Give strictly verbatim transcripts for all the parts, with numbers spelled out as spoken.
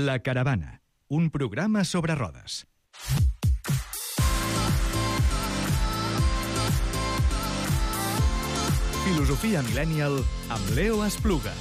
La Caravana, un programa sobre rodes. Filosofia Millennial amb Leo Espluga.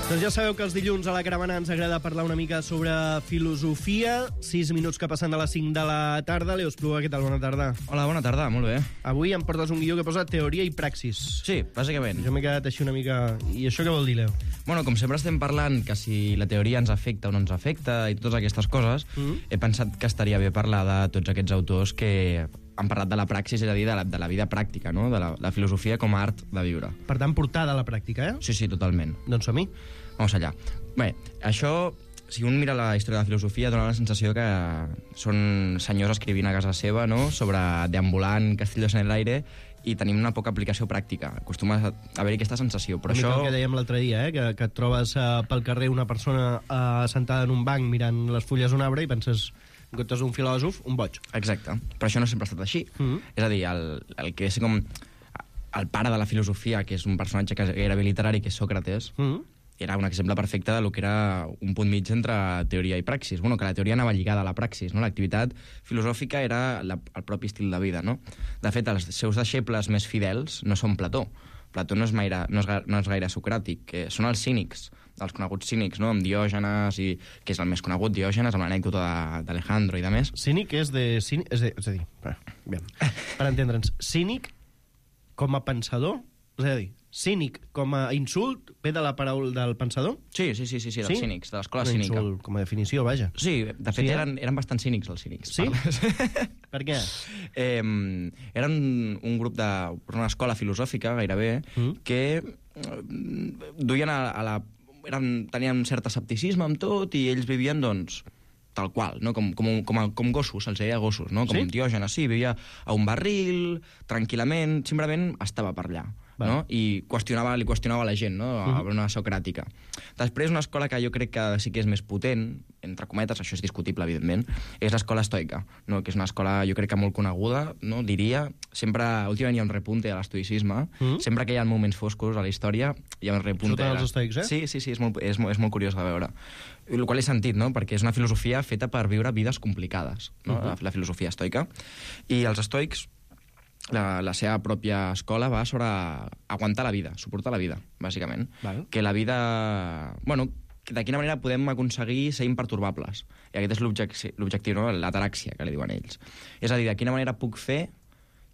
Doncs ja sabeu que els dilluns a La Caravana ens agrada parlar una mica sobre filosofia. Sis minuts que passen de les cinc de la tarda. Leo Espluga, què tal? Bona tarda. Hola, bona tarda, molt bé. Avui em portes un guió que posa teoria i praxis. Sí, bàsicament. Jo m'he quedat així una mica... I això què vol dir, Leo? Bueno, com sempre estem parlant que si la teoria ens afecta o no ens afecta i totes aquestes coses, mm-hmm. he pensat que estaria bé parlar de tots aquests autors que han parlat de la praxis, és a dir, de la, de la vida pràctica, no? De la, la filosofia com a art de viure. Per tant, portada a la pràctica, eh? Sí, sí, totalment. Doncs som-hi. Vamos allà. Bé, això, si un mira la història de la filosofia, dona la sensació que són senyors escrivint a casa seva, no?, sobre deambulant castillos en l'aire, i tenim una poca aplicació pràctica. Acostuma a haver-hi aquesta sensació, però una això... mica el que dèiem l'altre dia, eh? que, que et trobes uh, pel carrer una persona uh, sentada en un banc mirant les fulles d'un arbre i penses... en comptes d'un filòsof, un boig. Exacte, però això no sempre ha estat així. Mm-hmm. És a dir, el, el que és com el pare de la filosofia, que és un personatge que era literari, que és Sòcrates, mm-hmm. era un exemple perfecte del que era un punt mig entre teoria i praxis. Bueno, que la teoria anava lligada a la praxis, no? L'activitat filosòfica era la, el propi estil de vida, no? De fet, els seus deixebles més fidels no són Plató. Plató no és, gaire, no és, no és gaire socràtic, que són els cínics, els coneguts cínics, no? Amb Diògenes, i, que és el més conegut, Diògenes, amb l'anècdota d'Alejandro i de més. Cínic és de... Cínic, és, de és a dir, bé, per entendre'ns, cínic com a pensador, és a dir, cínic com a insult ve de la paraula del pensador? Sí, sí, sí, sí, sí dels sí? cínics, de l'escola cínica. Insult, com a definició, vaja. Sí, de fet sí, eh? eren, eren bastant cínics els cínics. Sí? Per què? Eh, eren un grup de... una escola filosòfica, gairebé, mm. que duien a, a la... Eren, tenien un cert escepticisme amb tot i ells vivien, doncs, tal qual, no? com, com, com, com gossos, els deia gossos, no? Com sí? Diògenes, sí, vivia a un barril, tranquil·lament, simplement estava per allà. No? I qüestionava, li qüestionava a la gent, no? A uh-huh. una socràtica. Després, una escola que jo crec que sí que és més potent, entre cometes, això és discutible, evidentment, és l'escola estoica, no? Que és una escola, jo crec que molt coneguda, no? Diria, sempre, últimament hi ha un repunte a l'estoicisme, uh-huh. sempre que hi ha moments foscos a la història, hi ha un repunte. Surten els estoics, eh? Sí, sí, sí, és molt, és, molt, és molt curiós de veure. El qual he sentit, no? Perquè és una filosofia feta per viure vides complicades, no? Uh-huh. la, la filosofia estoica. I els estoics, La, la seva pròpia escola va sobre aguantar la vida, suportar la vida, bàsicament. Val. Que la vida... Bueno, de quina manera podem aconseguir ser impertorbables. I aquest és l'objectiu, no? L'ataràxia, que li diuen ells. És a dir, de quina manera puc fer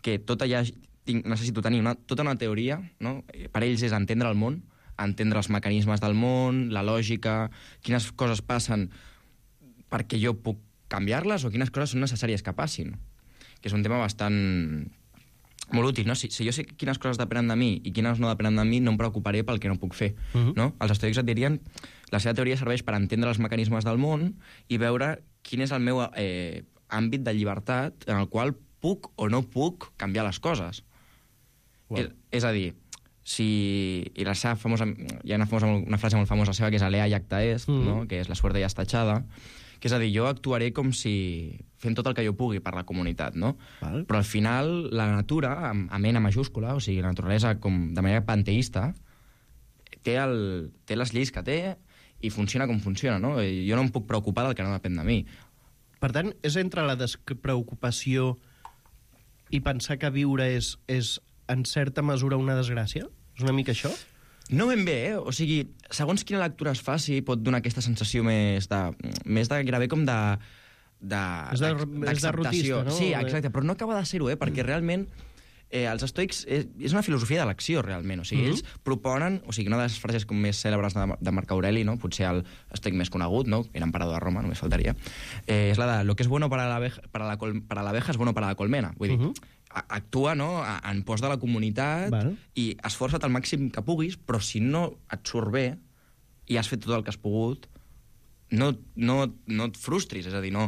que tot allà... Tinc, necessito tenir una, tota una teoria, no? Per ells és entendre el món, entendre els mecanismes del món, la lògica, quines coses passen perquè jo puc canviar-les o quines coses són necessàries que passin. Que és un tema bastant... molt útil, no? Si, si jo sé quines coses depenen de mi i quines no depenen de mi, no em preocuparé pel que no puc fer, uh-huh. no? Els estoics et dirien la seva teoria serveix per entendre els mecanismes del món i veure quin és el meu eh, àmbit de llibertat en el qual puc o no puc canviar les coses. Wow. És, és a dir, si... I la seva famosa... Hi ha una, famosa, una frase molt famosa seva que és alea iacta est, uh-huh. no? Que és la suerte ya está echada, que és a dir, jo actuaré com si fent tot el que jo pugui per la comunitat, no? Val. Però al final la natura, amb, amb ena majúscula, o sigui, la naturalesa com de manera panteísta, té, el, té les lleis que té i funciona com funciona, no? I jo no em puc preocupar del que no depèn de mi. Per tant, és entre la despreocupació i pensar que viure és, és en certa mesura una desgràcia? És una mica això? No ben bé, eh? O sigui, segons quina lectura es faci, pot donar aquesta sensació més de... més de gairebé com de... de d'acceptació. No? Sí, exacte, però no acaba de ser-ho, eh? Perquè mm. realment eh, els estoics és, és una filosofia d'elecció, realment. O sigui, mm-hmm. ells proponen... O sigui, una de les frases com més cèlebres de, de Marc Aureli, no? Potser el estoic més conegut, no? Era emperador de Roma, només faltaria. Eh, és la de lo que és bueno para la abeja, para la col, para la abeja es bueno para la colmena. Vull dir, mm-hmm. actua, no?, en pos de la comunitat. Val. I esforça't al màxim que puguis, però si no et surt bé i has fet tot el que has pogut, no, no, no et frustris, és a dir, no,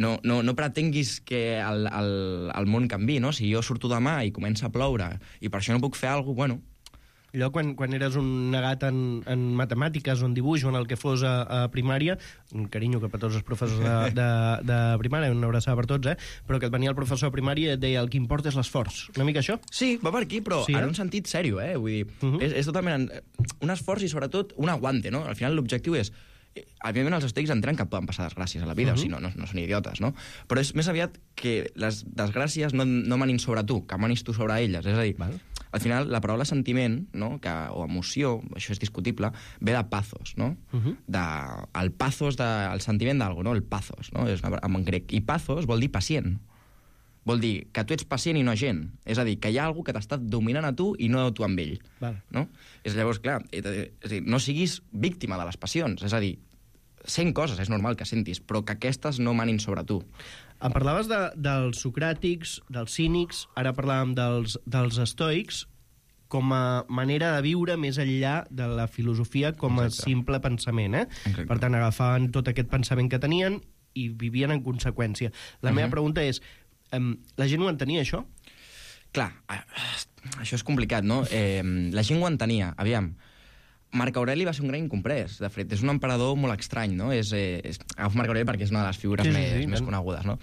no, no, no pretenguis que el, el, el món canvi, no? Si jo surto demà i comença a ploure i per això no puc fer alguna cosa, bueno, allò quan, quan eres un negat en, en matemàtiques o en dibuix o en el que fos a, a primària, un carinyo cap a tots els professors de, de, de primària, una abraçada per tots, eh? Però que et venia el professor de primària i et deia el que importa és l'esforç. Una mica això? Sí, va per aquí, però sí, en eh? un sentit sèrio, eh? Vull dir, uh -huh. és, és totalment un esforç i sobretot un aguante, no? Al final l'objectiu és... Evidentment els estoics entenen que poden passar desgràcies a la vida, uh -huh. o sigui, no, no, no són idiotes, no? Però és més aviat que les desgràcies no, no manin sobre tu, que manis tu sobre elles. És a dir, val. Al final, la paraula sentiment, no? que, o emoció, això és discutible, ve de pathos, no? Uh -huh. de, el pathos, de, el sentiment d'algú, no? El pathos, no? És una, en grec. I pathos vol dir pacient. Vol dir que tu ets pacient i no agent. És a dir, que hi ha algú que t'està dominant a tu i no tu amb ell. Val. No? És llavors, clar, és a dir, no siguis víctima de les passions. És a dir, sent coses, és normal que sentis, però que aquestes no manin sobre tu. Em parlaves de, dels socràtics, dels cínics, ara parlàvem dels, dels estoics, com a manera de viure més enllà de la filosofia com a Exacte. simple pensament. Eh? Per tant, agafaven tot aquest pensament que tenien i vivien en conseqüència. La uh-huh. meva pregunta és, um, la gent ho entenia, això? Clar, això és complicat, no? Eh, la gent ho entenia. Aviam, Marc Aureli va ser un gran incomprès, de fet. És un emperador molt estrany, no? És, eh, és, agafo Marc Aureli perquè és una de les figures sí, més, sí, sí, més conegudes, no?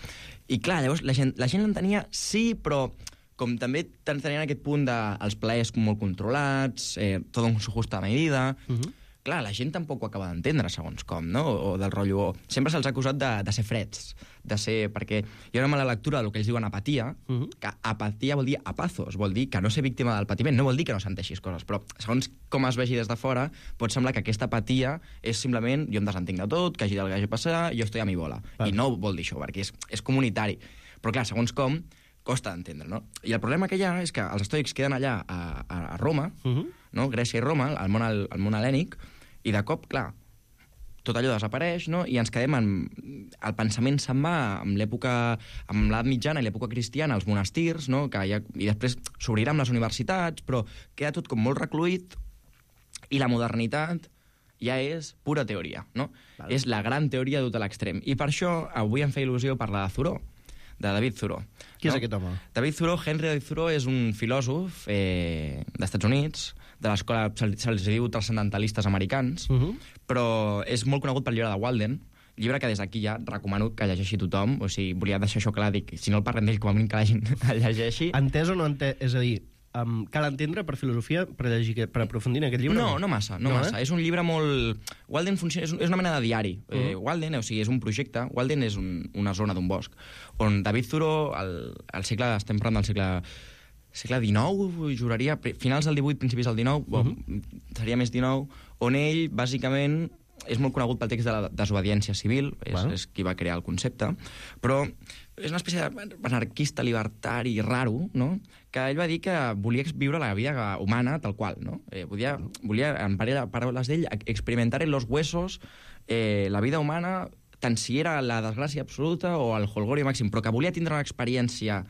I clar, llavors la gent, la gent l'entenia, sí, però com també tenien aquest punt dels plaers molt controlats, eh, tot en su justa medida... Uh -huh. Clar, la gent tampoc ho acaba d'entendre, segons com, no? O, o del rotllo... Sempre se'ls ha acusat de, de ser freds, de ser... Perquè hi ha una mala lectura del que ells diuen apatia, uh -huh. que apatia vol dir apazos, vol dir que no ser víctima del patiment, no vol dir que no senteixis coses, però segons com es vegi des de fora, pot semblar que aquesta apatia és simplement jo em desentenc de tot, que hagi del que hagi passat, jo estoy a mi bola. Val. I no vol dir això, perquè és, és comunitari. Però clar, segons com, costa d'entendre, no? I el problema que hi ha és que els estoics queden allà a, a, a Roma, uh -huh. no? Grècia i Roma, al món, al, al món hel·lènic, i de cop, clar, tot allò desapareix, no? I ens quedem en... El pensament se'n va amb l'època... amb l'edat mitjana i l'època cristiana, als monestirs, no? Que ha... I després s'obriran les universitats, però queda tot com molt recluït i la modernitat ja és pura teoria, no? Vale. És la gran teoria duta a l'extrem. I per això avui em fa il·lusió parlar de Thoreau, de David Thoreau. Qui no? és aquest home? David Thoreau, Henry David Thoreau, és un filòsof eh, d'Estats Units, de l'escola, se'ls diu transcendentalistes americans, uh -huh. però és molt conegut pel llibre de Walden, llibre que des d'aquí ja recomano que llegeixi tothom, o sigui, volia deixar això clar, dic, si no el parlem d'ell, com a mínim que la gent el llegeixi. Entès o no entès? És a dir, um, cal entendre per filosofia, per llegir, per aprofundir en aquest llibre? No, no massa, no, no massa. Eh? És un llibre molt... Walden funciona, és, és una mena de diari. Uh -huh. eh, Walden, o sigui, és un projecte, Walden és un, una zona d'un bosc, on David Thoreau, al, al segle, estem parlant del segle... segle dinou, juraria, finals del divuit, principis del dinou, uh -huh. bon, seria més dinou, on ell, bàsicament, és molt conegut pel text de la desobediència civil, és, bueno. és qui va crear el concepte, però és una espècie d'anarquista libertari raro, no? Que ell va dir que volia viure la vida humana tal qual, no? Eh, volia, volia, en paraules d'ell, experimentar en los huesos eh, la vida humana, tant si era la desgràcia absoluta o el holgorio màxim, però que volia tindre una experiència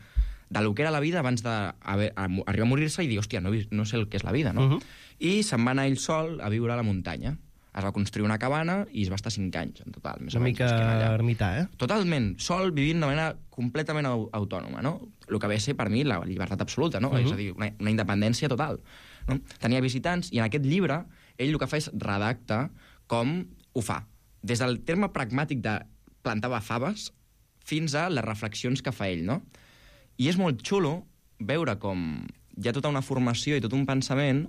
de lo que era la vida abans d'arribar a morir-se i dir, hòstia, no, no sé el que és la vida, no? Uh -huh. I se'n va anar ell sol a viure a la muntanya. Es va construir una cabana i es va estar cinc anys, en total. Més una mica ermità, eh? Totalment, sol, vivint de manera completament autònoma, no? El que ve a ser, per mi, la llibertat absoluta, no? Uh -huh. És a dir, una, una independència total. No? Tenia visitants, i en aquest llibre, ell el que fa és redacta com ho fa. Des del terme pragmàtic de plantava faves fins a les reflexions que fa ell, no? I és molt xulo veure com hi ha tota una formació i tot un pensament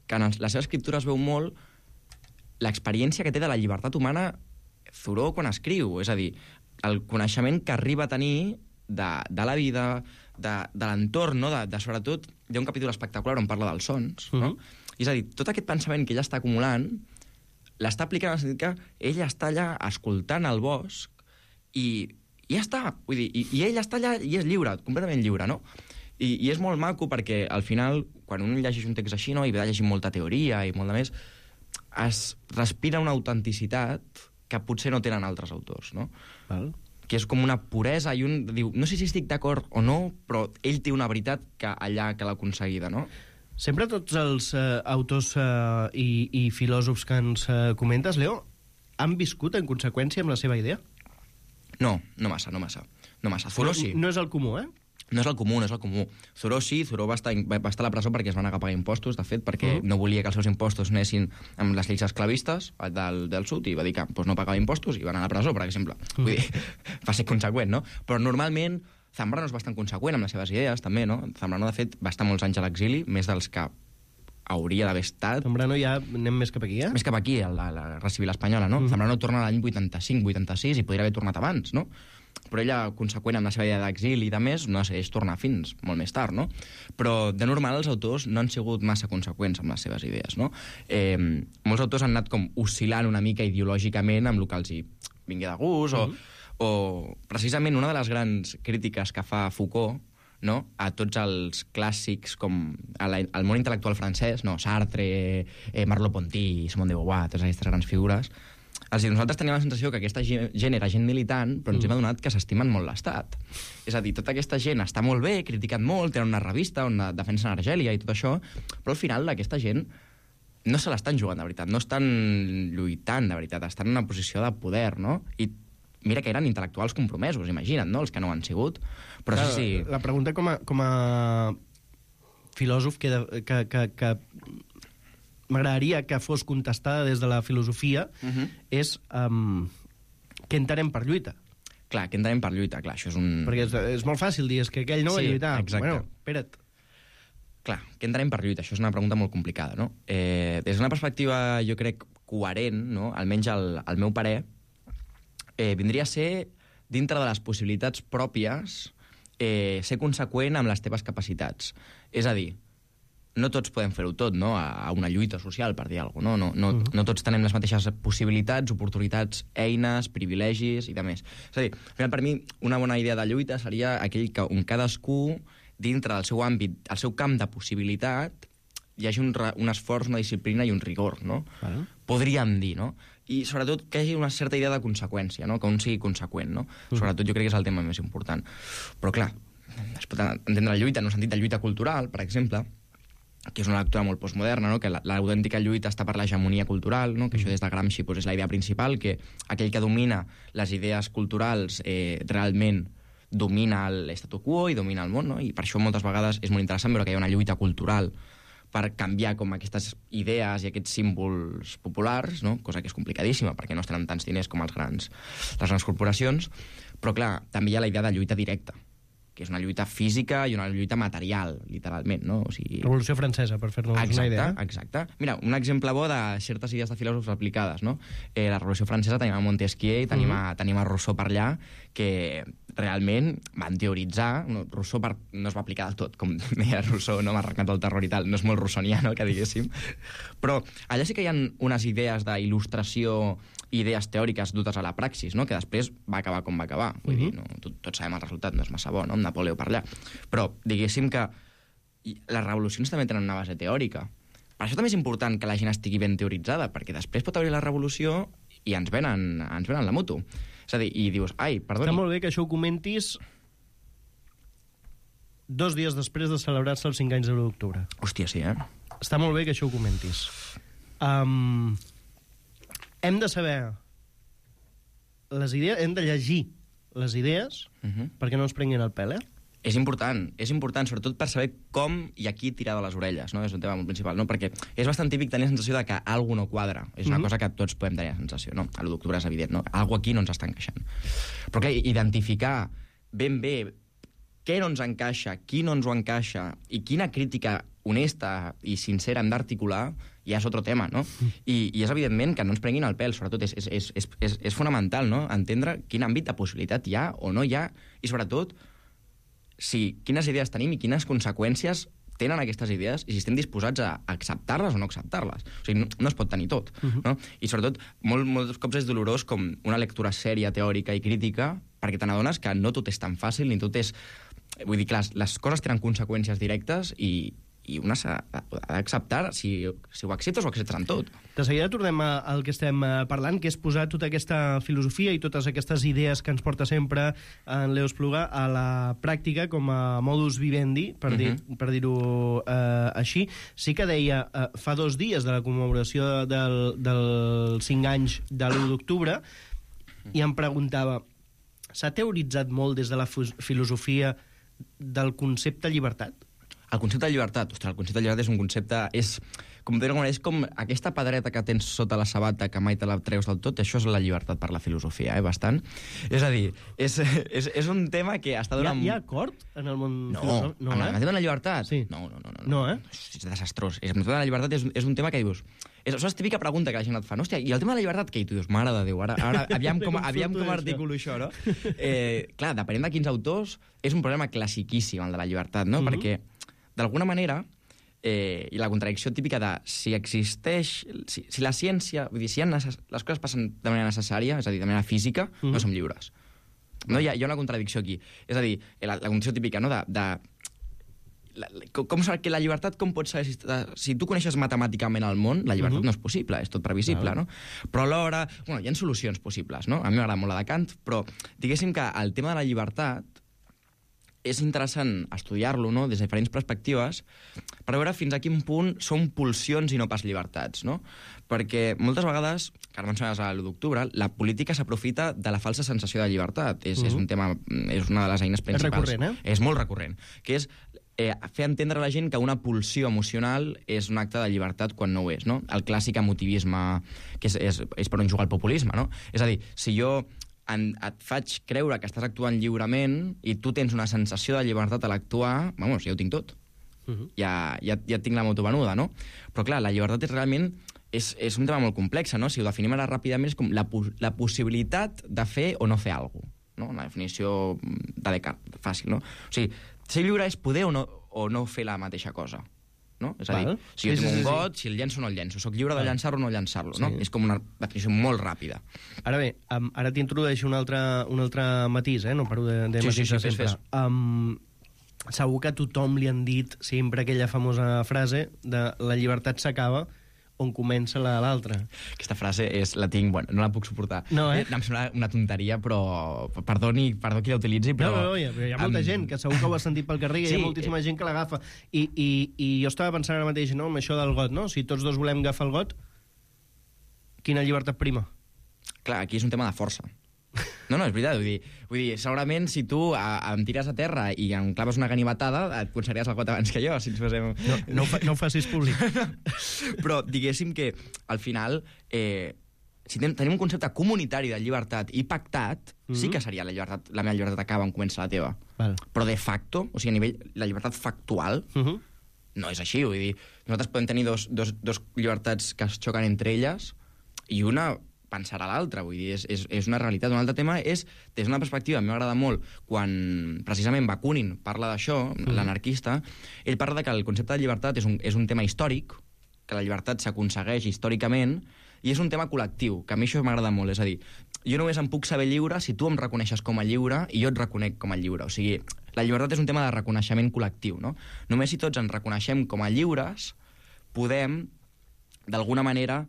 que en la seva escriptura es veu molt l'experiència que té de la llibertat humana Thoreau quan escriu. És a dir, el coneixement que arriba a tenir de, de la vida, de, de l'entorn, no? de, de, sobretot, hi ha un capítol espectacular on parla dels sons, no? Uh -huh. És a dir, tot aquest pensament que ella està acumulant l'està aplicant en el sentit que ella està allà escoltant el bosc i i ja està, vull dir, i, i ell està allà i és lliure, completament lliure, no? I, i és molt maco perquè, al final, quan un llegeix un text així, no?, i ve de llegir molta teoria i molt de més, es respira una autenticitat que potser no tenen altres autors, no? Val. Que és com una puresa i un... diu, no sé si estic d'acord o no, però ell té una veritat que allà que l'ha aconseguida, no? Sempre tots els eh, autors eh, i, i filòsofs que ens eh, comentes, Leo, han viscut en conseqüència amb la seva idea? No, no massa, no massa. No massa. Thoreau sí. No, no és el comú, eh? No és el comú, no és el comú. Thoreau sí, Thoreau va estar, va estar a la presó perquè es van negar a pagar impostos, de fet, perquè uh -huh. no volia que els seus impostos anessin amb les lleis esclavistes del, del sud, i va dir que doncs, no pagava impostos i va anar a la presó, per exemple. Uh -huh. Vull dir, va ser conseqüent, no? Però normalment Zambrano és bastant conseqüent amb les seves idees, també, no? Zambrano, de fet, va estar molts anys a l'exili, més dels que hauria d'haver estat... Zambrano ja anem més cap aquí, eh? Més cap aquí, a la, la Guerra Civil Espanyola, no? Uh -huh. Zambrano torna l'any vuitanta-cinc vuitanta-sis i podria haver tornat abans, no? Però ella, conseqüent amb la seva idea d'exili i de més, no decideix tornar fins molt més tard, no? Però, de normal, els autors no han sigut massa conseqüents amb les seves idees, no? Eh, molts autors han anat com oscil·lant una mica ideològicament amb el que els hi vingui de gust, uh -huh. o, o precisament una de les grans crítiques que fa Foucault, no?, a tots els clàssics com al món intel·lectual francès, no? Sartre, eh, Merleau-Ponty, Simone de Beauvoir, totes aquestes grans figures. Els dir, nosaltres teníem la sensació que aquesta gent era gent militant, però ens hem adonat que s'estimen molt l'Estat. És a dir, tota aquesta gent està molt bé, criticat molt, tenen una revista on defensen Argèlia i tot això, però al final aquesta gent no se l'estan jugant de veritat, no estan lluitant de veritat, estan en una posició de poder, no? I mira que eren intel·lectuals compromesos, imagina't, no?, els que no ho han sigut. Però clar, sí, sí... La pregunta com a, com a filòsof que... que, que, que... m'agradaria que fos contestada des de la filosofia, uh -huh. és um, què entenem per lluita. Clar, què entenem per lluita, clar, això és un... Perquè és, és molt fàcil dir, és que aquell no sí, va lluitar. Exacte. Bueno, espera't. Clar, què entenem per lluita? Això és una pregunta molt complicada, no? Eh, des d'una perspectiva, jo crec, coherent, no?, almenys al, al meu parer, eh, vindria a ser, dintre de les possibilitats pròpies, eh, ser conseqüent amb les teves capacitats. És a dir, no tots podem fer-ho tot, no?, a una lluita social, per dir alguna cosa, no? No, no, uh -huh. no tots tenem les mateixes possibilitats, oportunitats, eines, privilegis i de més. És a dir, al final, per mi, una bona idea de lluita seria aquell que on cadascú, dintre del seu àmbit, el seu camp de possibilitat, hi hagi un, un esforç, una disciplina i un rigor, no? Uh -huh. Podríem dir, no? I, sobretot, que hi hagi una certa idea de conseqüència, no?, que un sigui conseqüent, no? Uh -huh. Sobretot, jo crec que és el tema més important. Però, clar, es pot entendre la lluita en un sentit de lluita cultural, per exemple, que és una lectura molt postmoderna, no?, que l'autèntica lluita està per l'hegemonia cultural, no?, que això des de Gramsci pues, és la idea principal, que aquell que domina les idees culturals eh, realment domina l'estatu quo i domina el món, no? I per això moltes vegades és molt interessant veure que hi ha una lluita cultural per canviar com aquestes idees i aquests símbols populars, no?, cosa que és complicadíssima perquè no es tenen tants diners com els grans, les grans corporacions, però clar, també hi ha la idea de lluita directa, que és una lluita física i una lluita material, literalment, no? O sigui... Revolució Francesa, per fer-nos una idea. Exacte, exacte. Mira, un exemple bo de certes idees de filòsofs aplicades, no? Eh, la Revolució Francesa tenim a Montesquieu i tenim, a, tenim a Rousseau per allà, que realment van teoritzar... No, Rousseau per, no es va aplicar del tot, com deia Rousseau, no m'ha arrencat el terror i tal, no és molt rousseauiano, que diguéssim. Però allà sí que hi ha unes idees d'il·lustració, idees teòriques dutes a la praxis, no?, que després va acabar com va acabar. Vull uh -huh. dir, no, tot, tots sabem el resultat, no és massa bo, no?, amb Napoleó per allà. Però diguéssim que les revolucions també tenen una base teòrica. Per això també és important que la gent estigui ben teoritzada, perquè després pot haver la revolució i ens venen, ens venen la moto. És a dir, i dius, ai, perdoni... Està molt bé que això ho comentis dos dies després de celebrar-se els cinc anys de l'u d'octubre. Hòstia, sí, eh? Està molt bé que això ho comentis. Um, hem de saber les idees, hem de llegir les idees uh -huh. perquè no ens prenguin el pèl, eh? És important, és important, sobretot per saber com i a qui tirar de les orelles, no? És un tema molt principal, no? Perquè és bastant típic tenir la sensació de que alguna no quadra. És una uh -huh. cosa que tots podem tenir la sensació, no? A l'u d'octubre és evident, no? Algo aquí no ens està encaixant. Però clar, identificar ben bé què no ens encaixa, qui no ens ho encaixa i quina crítica honesta i sincera hem d'articular ja és otro tema, no? I, i és evidentment que no ens prenguin el pèl, sobretot és, és, és, és, és fonamental, no?, entendre quin àmbit de possibilitat hi ha o no hi ha i sobretot si quines idees tenim i quines conseqüències tenen aquestes idees i si estem disposats a acceptar-les o no acceptar-les. O sigui, no, no es pot tenir tot, uh-huh. no? I sobretot, molt, molts cops és dolorós com una lectura sèria, teòrica i crítica, perquè te n'adones que no tot és tan fàcil, ni tot és... Vull dir, clar, les coses tenen conseqüències directes i, i una s'ha d'acceptar si, si ho acceptes o acceptes en tot. De seguida tornem al que estem parlant, que és posar tota aquesta filosofia i totes aquestes idees que ens porta sempre en Leo Espluga a la pràctica com a modus vivendi, per, dir, uh-huh. per dir-ho eh, així. Sí que deia, eh, fa dos dies de la commemoració del, del cinc anys de l'u d'octubre, i em preguntava, s'ha teoritzat molt des de la filosofia del concepte llibertat? El concepte de llibertat, ostres, el concepte de llibertat és un concepte... És, com, és com aquesta pedreta que tens sota la sabata que mai te la treus del tot, això és la llibertat per la filosofia, eh, bastant. És a dir, és, és, és un tema que està donant... Hi ha, hi ha acord en el món no, filosòfic? No, en el tema de la llibertat? Sí. No, no, no. No, no eh? És desastrós. El tema de la llibertat és, és un tema que dius... És, això és típica pregunta que la gent et fa. No, hòstia, i el tema de la llibertat què? I tu dius, mare de Déu, ara, ara aviam com, aviam com articulo això, no? Eh, clar, depenent de quins autors, és un problema classiquíssim, el de la llibertat, no? Mm-hmm. Perquè, d'alguna manera, eh, i la contradicció típica de si existeix... Si, si la ciència... Vull dir, si necess, les coses passen de manera necessària, és a dir, de manera física, mm-hmm. no som lliures. No, hi ha, hi ha una contradicció aquí. És a dir, la, la condició típica, no?, de... de La, com, com que la llibertat, com pots saber si, si tu coneixes matemàticament el món, la llibertat uh-huh. no és possible, és tot previsible, no? Però alhora, bueno, hi ha solucions possibles, no? A mi m'agrada molt la de Kant, però diguéssim que el tema de la llibertat és interessant estudiar-lo, no?, des de diferents perspectives, per veure fins a quin punt són pulsions i no pas llibertats, no? Perquè moltes vegades, que ara menciones a l'u d'octubre, la política s'aprofita de la falsa sensació de llibertat. És, uh-huh. és un tema, és una de les eines principals. És recurrent, eh? És molt recurrent, que és Eh, fer entendre a la gent que una pulsió emocional és un acte de llibertat quan no ho és, no? El clàssic emotivisme, que és, és, és per on juga el populisme, no? És a dir, si jo en, et faig creure que estàs actuant lliurement i tu tens una sensació de llibertat a l'actuar, vamos, ja ho tinc tot. Uh-huh. Ja, ja, ja tinc la moto venuda, no? Però clar, la llibertat és realment... És, és un tema molt complex, no? Si ho definim ara ràpidament, és com la, la possibilitat de fer o no fer alguna cosa, no? Una definició de Descartes, fàcil, no? O sigui, ser lliure és poder o no, o no fer la mateixa cosa, no? És a dir, Val. si jo sí, tinc sí, un got, sí. si el llenço o no el llenço, soc lliure Val. de llançar-lo o no llançar-lo, sí. no? És com una definició molt ràpida. Ara bé, um, ara t'introdueixo un altre, un altre matís, eh? No paro de, de sí, matisar sí, sí, sempre. Fes, fes. Um, segur que a tothom li han dit sempre aquella famosa frase de la llibertat s'acaba on comença la l'altra. Aquesta frase és, la tinc, bueno, no la puc suportar. No, eh? Em sembla una tonteria, però perdoni, perdó qui la utilitzi, però... No, no, no, hi ha, hi ha molta um... gent que segur que ho ha sentit pel carrer, sí, hi ha moltíssima eh... gent que l'agafa. I, i, I jo estava pensant ara mateix, no?, amb això del got, no? Si tots dos volem agafar el got, quina llibertat prima? Clar, aquí és un tema de força. No, no, és veritat, vull dir, vull dir segurament si tu a, a, em tires a terra i em claves una ganivetada, et conservaries el got abans que jo, si ens posem... No, no, ho, fa, no ho facis públic. Però diguéssim que, al final, eh, si ten, tenim un concepte comunitari de llibertat i pactat, mm-hmm. sí que seria la llibertat, la meva llibertat acaba on comença la teva. Val. Però de facto, o sigui, a nivell, la llibertat factual, mm-hmm. no és així, vull dir, nosaltres podem tenir dos, dos, dos llibertats que es xoquen entre elles i una... pensar a l'altre, vull dir, és, és, és una realitat. Un altre tema és, des d'una perspectiva, a mi m'agrada molt, quan precisament Bakunin parla d'això, mm. l'anarquista, ell parla que el concepte de llibertat és un, és un tema històric, que la llibertat s'aconsegueix històricament, i és un tema col·lectiu, que a mi això m'agrada molt, és a dir, jo només em puc saber lliure si tu em reconeixes com a lliure i jo et reconec com a lliure. O sigui, la llibertat és un tema de reconeixement col·lectiu, no? Només si tots ens reconeixem com a lliures, podem, d'alguna manera,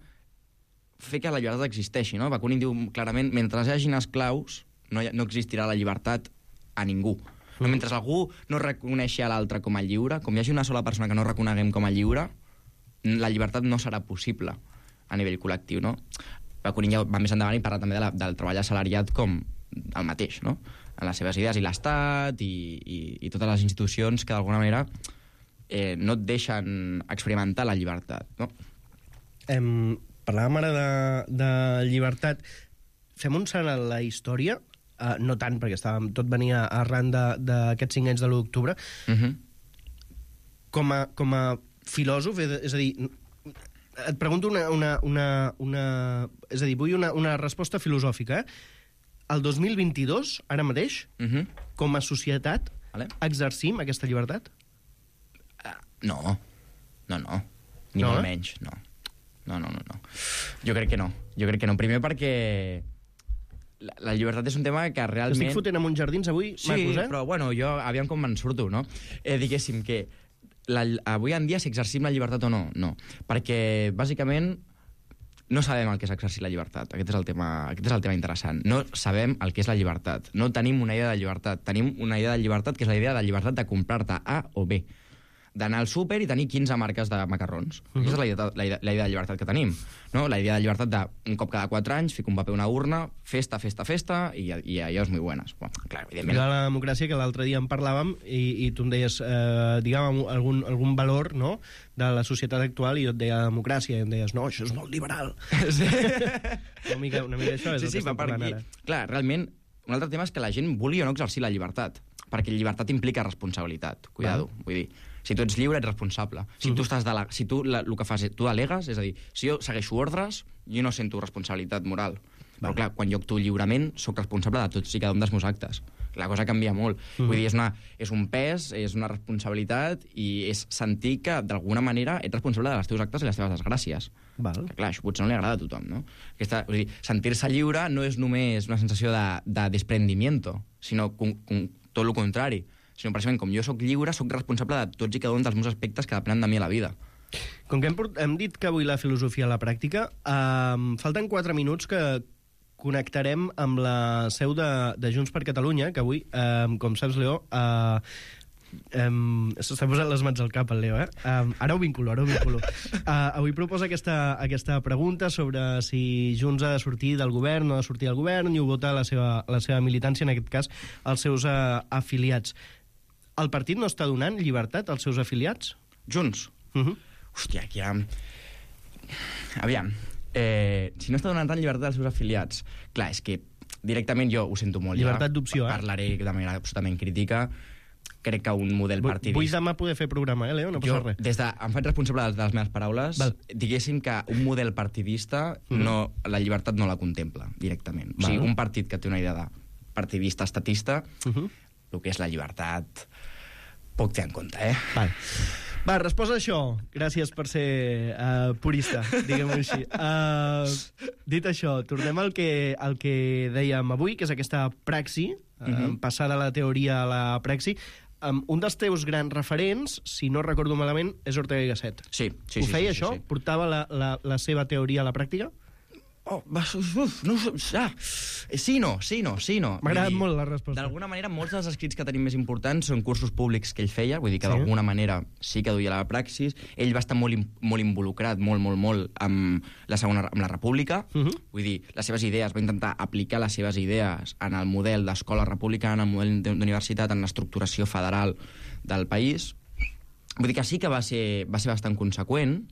fer que la llibertat existeixi, no? Bakunin diu clarament, mentre hi hagin esclaus, no, hi, no existirà la llibertat a ningú. Mm. No, mentre algú no reconeixi a l'altre com a lliure, com hi hagi una sola persona que no reconeguem com a lliure, la llibertat no serà possible a nivell col·lectiu, no? Bakunin ja va més endavant i parla també de la, del treball assalariat com el mateix, no? En les seves idees, i l'Estat i, i, i totes les institucions que d'alguna manera eh, no et deixen experimentar la llibertat, no? Em... Parlàvem ara de, de llibertat. Fem un salt a la història, uh, no tant, perquè estàvem, tot venia arran d'aquests cinc anys de l'u d'octubre. Uh-huh. Com, a, com a filòsof, és a dir, et pregunto una... una, una, una és a dir, vull una, una resposta filosòfica. Eh? El dos mil vint-i-dos, ara mateix, uh-huh. com a societat, vale. exercim aquesta llibertat? Uh, no. No, no. Ni no, molt eh? menys, no. No, no, no, no. Jo crec que no. Jo crec que no. Primer perquè la, la llibertat és un tema que realment... Estic fotent amb uns jardins avui, sí, macos, eh? Però, bueno, jo, aviam com me'n surto, no? Eh, diguéssim que la, avui en dia si exercim la llibertat o no, no. Perquè, bàsicament, no sabem el que és exercir la llibertat. Aquest és el tema, aquest és el tema interessant. No sabem el que és la llibertat. No tenim una idea de llibertat. Tenim una idea de llibertat que és la idea de llibertat de comprar-te A o B. d'anar al súper i tenir quinze marques de macarrons. Uh-huh. Aquesta és la idea, la, idea, la idea de llibertat que tenim. No? La idea de llibertat de un cop cada quatre anys, fico un paper a una urna, festa, festa, festa, i, i allò és molt bones. Bueno, clar, evidentment... De la democràcia, que l'altre dia en parlàvem, i, i tu em deies, eh, diguem, algun, algun valor, no?, de la societat actual, i jo et deia democràcia, i em deies, no, això és molt liberal. Sí. una, mica, una mica això és sí, el sí, que estem parlant ara. Clar, realment, un altre tema és que la gent vulgui o no exercir la llibertat, perquè llibertat implica responsabilitat, cuidado, Val. Vull dir, si tu ets lliure, ets responsable. Si uh -huh. tu estàs de la, si tu la, el que fas, tu delegues, és a dir, si jo segueixo ordres, jo no sento responsabilitat moral. Val. Però clar, quan jo actuo lliurement, sóc responsable de tots i cada un dels meus actes. La cosa canvia molt. Uh -huh. Vull dir, és, una, és un pes, és una responsabilitat, i és sentir que, d'alguna manera, ets responsable dels teus actes i les teves desgràcies. Val. Que, clar, això potser no li agrada a tothom, no? Aquesta, vull dir, sentir-se lliure no és només una sensació de, de desprendimiento, sinó com, com, tot el contrari. Sinó, precisament, com jo sóc lliure, sóc responsable de tots i cada un dels meus aspectes que depenen de mi a la vida. Com que hem, hem dit que avui la filosofia a la pràctica, eh, falten quatre minuts que connectarem amb la seu de, de Junts per Catalunya, que avui, eh, com saps, Leo, eh, Um, s'està posant les mans al cap, el Leo, eh? Um, ara ho vinculo, ara ho vinculo. Uh, avui proposa aquesta, aquesta pregunta sobre si Junts ha de sortir del govern o no ha de sortir del govern, i ho vota la seva, la seva militància, en aquest cas, els seus uh, afiliats. El partit no està donant llibertat als seus afiliats? Junts? Uh -huh. Hòstia, aquí ha... Aviam, eh, si no està donant tant llibertat als seus afiliats... Clar, és que directament jo ho sento molt. Llibertat ja. d'opció, eh? Parlaré de manera absolutament crítica. Crec que un model partidista... Vull demà poder fer programa, eh, Leo? No passa jo, res. Des de, em faig responsable de les meves paraules. Val. Diguéssim que un model partidista, mm. no, la llibertat no la contempla directament. Val. O sigui, un partit que té una idea de partidista, estatista, uh -huh. el que és la llibertat, poc té en compte, eh? Val. Va, resposa això. Gràcies per ser uh, purista, diguem-ho així. Uh, dit això, tornem al que, al que dèiem avui, que és aquesta praxi, uh, uh -huh. passar de la teoria a la praxi. Um, un dels teus grans referents, si no recordo malament, és Ortega y Gasset. Sí, sí, Ho sí. feia, sí, això? Sí, sí. Portava la, la, la seva teoria a la pràctica? Oh, uf, no, ah, sí, no, sí, no, sí, no. M'ha agradat molt la resposta. D'alguna manera, molts dels escrits que tenim més importants són cursos públics que ell feia, vull dir que sí. d'alguna manera sí que duia la praxis. Ell va estar molt, molt involucrat, molt, molt, molt, amb la segona, amb la República. Uh -huh. Vull dir, les seves idees, va intentar aplicar les seves idees en el model d'escola republicana, en el model d'universitat, en l'estructuració federal del país. Vull dir que sí que va ser, va ser bastant conseqüent,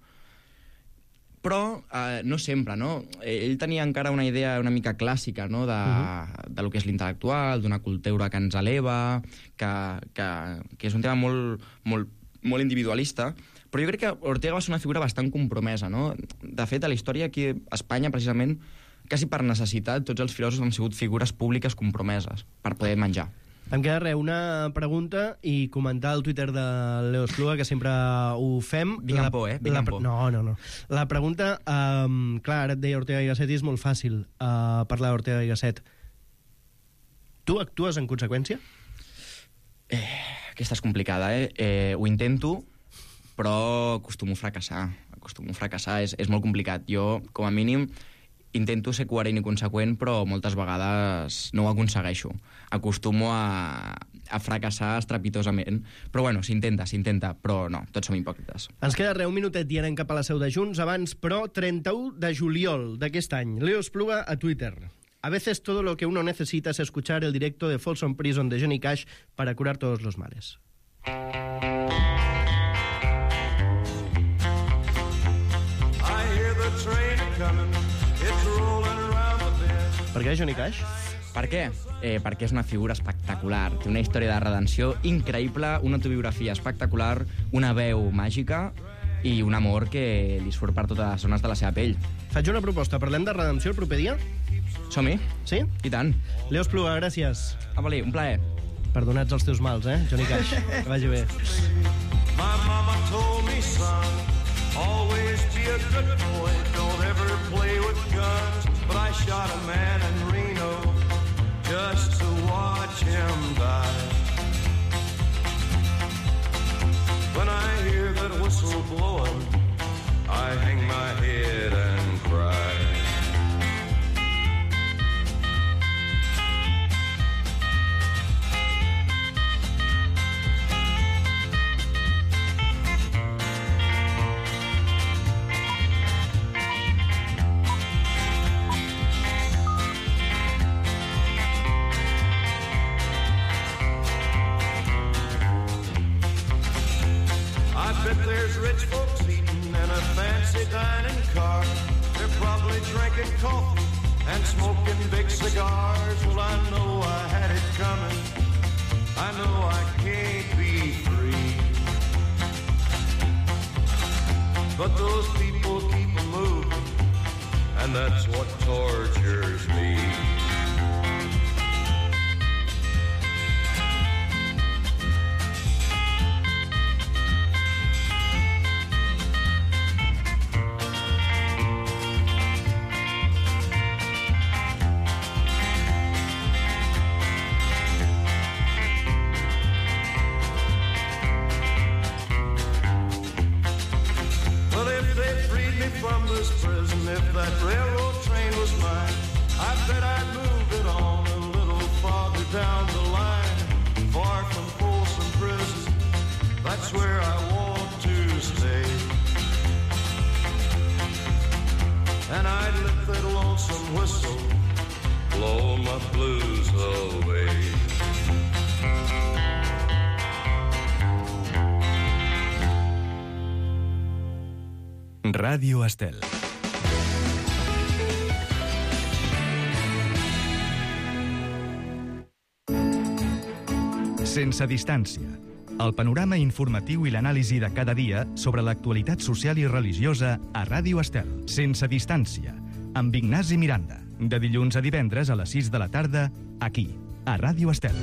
però eh, no sempre, no? Ell tenia encara una idea una mica clàssica, no?, de, uh-huh. de lo que és l'intel·lectual, d'una cultura que ens eleva, que, que, que és un tema molt, molt, molt individualista, però jo crec que Ortega va ser una figura bastant compromesa, no? De fet, a la història aquí a Espanya, precisament, quasi per necessitat, tots els filòsofs han sigut figures públiques compromeses per poder menjar. Em queda res, una pregunta i comentar el Twitter de Leo Espluga, que sempre ho fem. Vinc amb por, eh? Vinc amb por. No, no, no. La pregunta, um, clar, ara et deia Ortega y Gasset, i és molt fàcil uh, parlar d'Ortega y Gasset. Tu actues en conseqüència? Eh, aquesta és complicada, eh? eh? Ho intento, però acostumo a fracassar. Acostumo a fracassar, és, és molt complicat. Jo, com a mínim, intento ser coherent i conseqüent, però moltes vegades no ho aconsegueixo. Acostumo a, a fracassar estrepitosament. Però bueno, s'intenta, s'intenta, però no, tots som hipòcrites. Ens queda res, un minutet i anem cap a la seu de Junts. Abans, però, trenta-u de juliol d'aquest any. Leo Espluga a Twitter. A veces todo lo que uno necesita es escuchar el directo de Folsom Prison de Johnny Cash para curar todos los males. Per què Johnny Cash? Per què? Eh, perquè és una figura espectacular. Té una història de redenció increïble, una autobiografia espectacular, una veu màgica i un amor que li surt per totes les zones de la seva pell. Faig una proposta. Parlem de redenció el proper dia? Som-hi? Sí? I tant. Leo Espluga, gràcies. Apa-li, un plaer. Perdonats els teus mals, eh, Johnny Cash? Que vagi bé. My mama told me, son, always be a good boy, don't ever play with guns. But I shot a man in Reno just to watch him die. When I hear that whistle blowing, I hang my head and cry. drinking coffee and smoking big cigars. Well, I know I had it coming. I know I can't be free. But those people keep a moving, and that's what tortures me. From this prison, if that railroad train was mine, I bet I'd move it on a little farther down the line, far from Folsom Prison. That's where I want to stay. And I'd let that lonesome whistle blow my blues away. Ràdio Estel. Sense distància. El panorama informatiu i l'anàlisi de cada dia sobre l'actualitat social i religiosa a Ràdio Estel. Sense distància. Amb Ignasi Miranda. De dilluns a divendres a les sis de la tarda, aquí, a Ràdio Estel.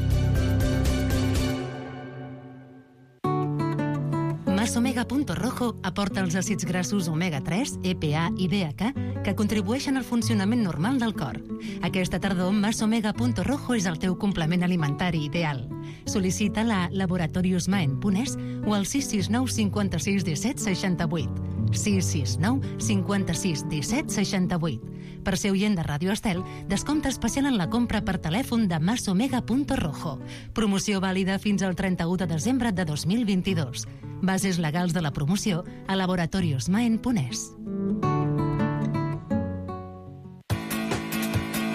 Masomega.rojo aporta els àcids grassos omega tres, E P A i D H que contribueixen al funcionament normal del cor. Aquesta tardor, Masomega.rojo és el teu complement alimentari ideal. Sol·licita la laboratorius maen punt es o al sis sis nou cinquanta-sis disset seixanta-vuit. sis sis nou cinquanta-sis disset seixanta-vuit. Per ser oient de Ràdio Estel, descompte especial en la compra per telèfon de Masomega.rojo. Promoció vàlida fins al trenta-u de desembre de dos mil vint-i-dos. Bases legals de la promoció a laboratorius maen punt es.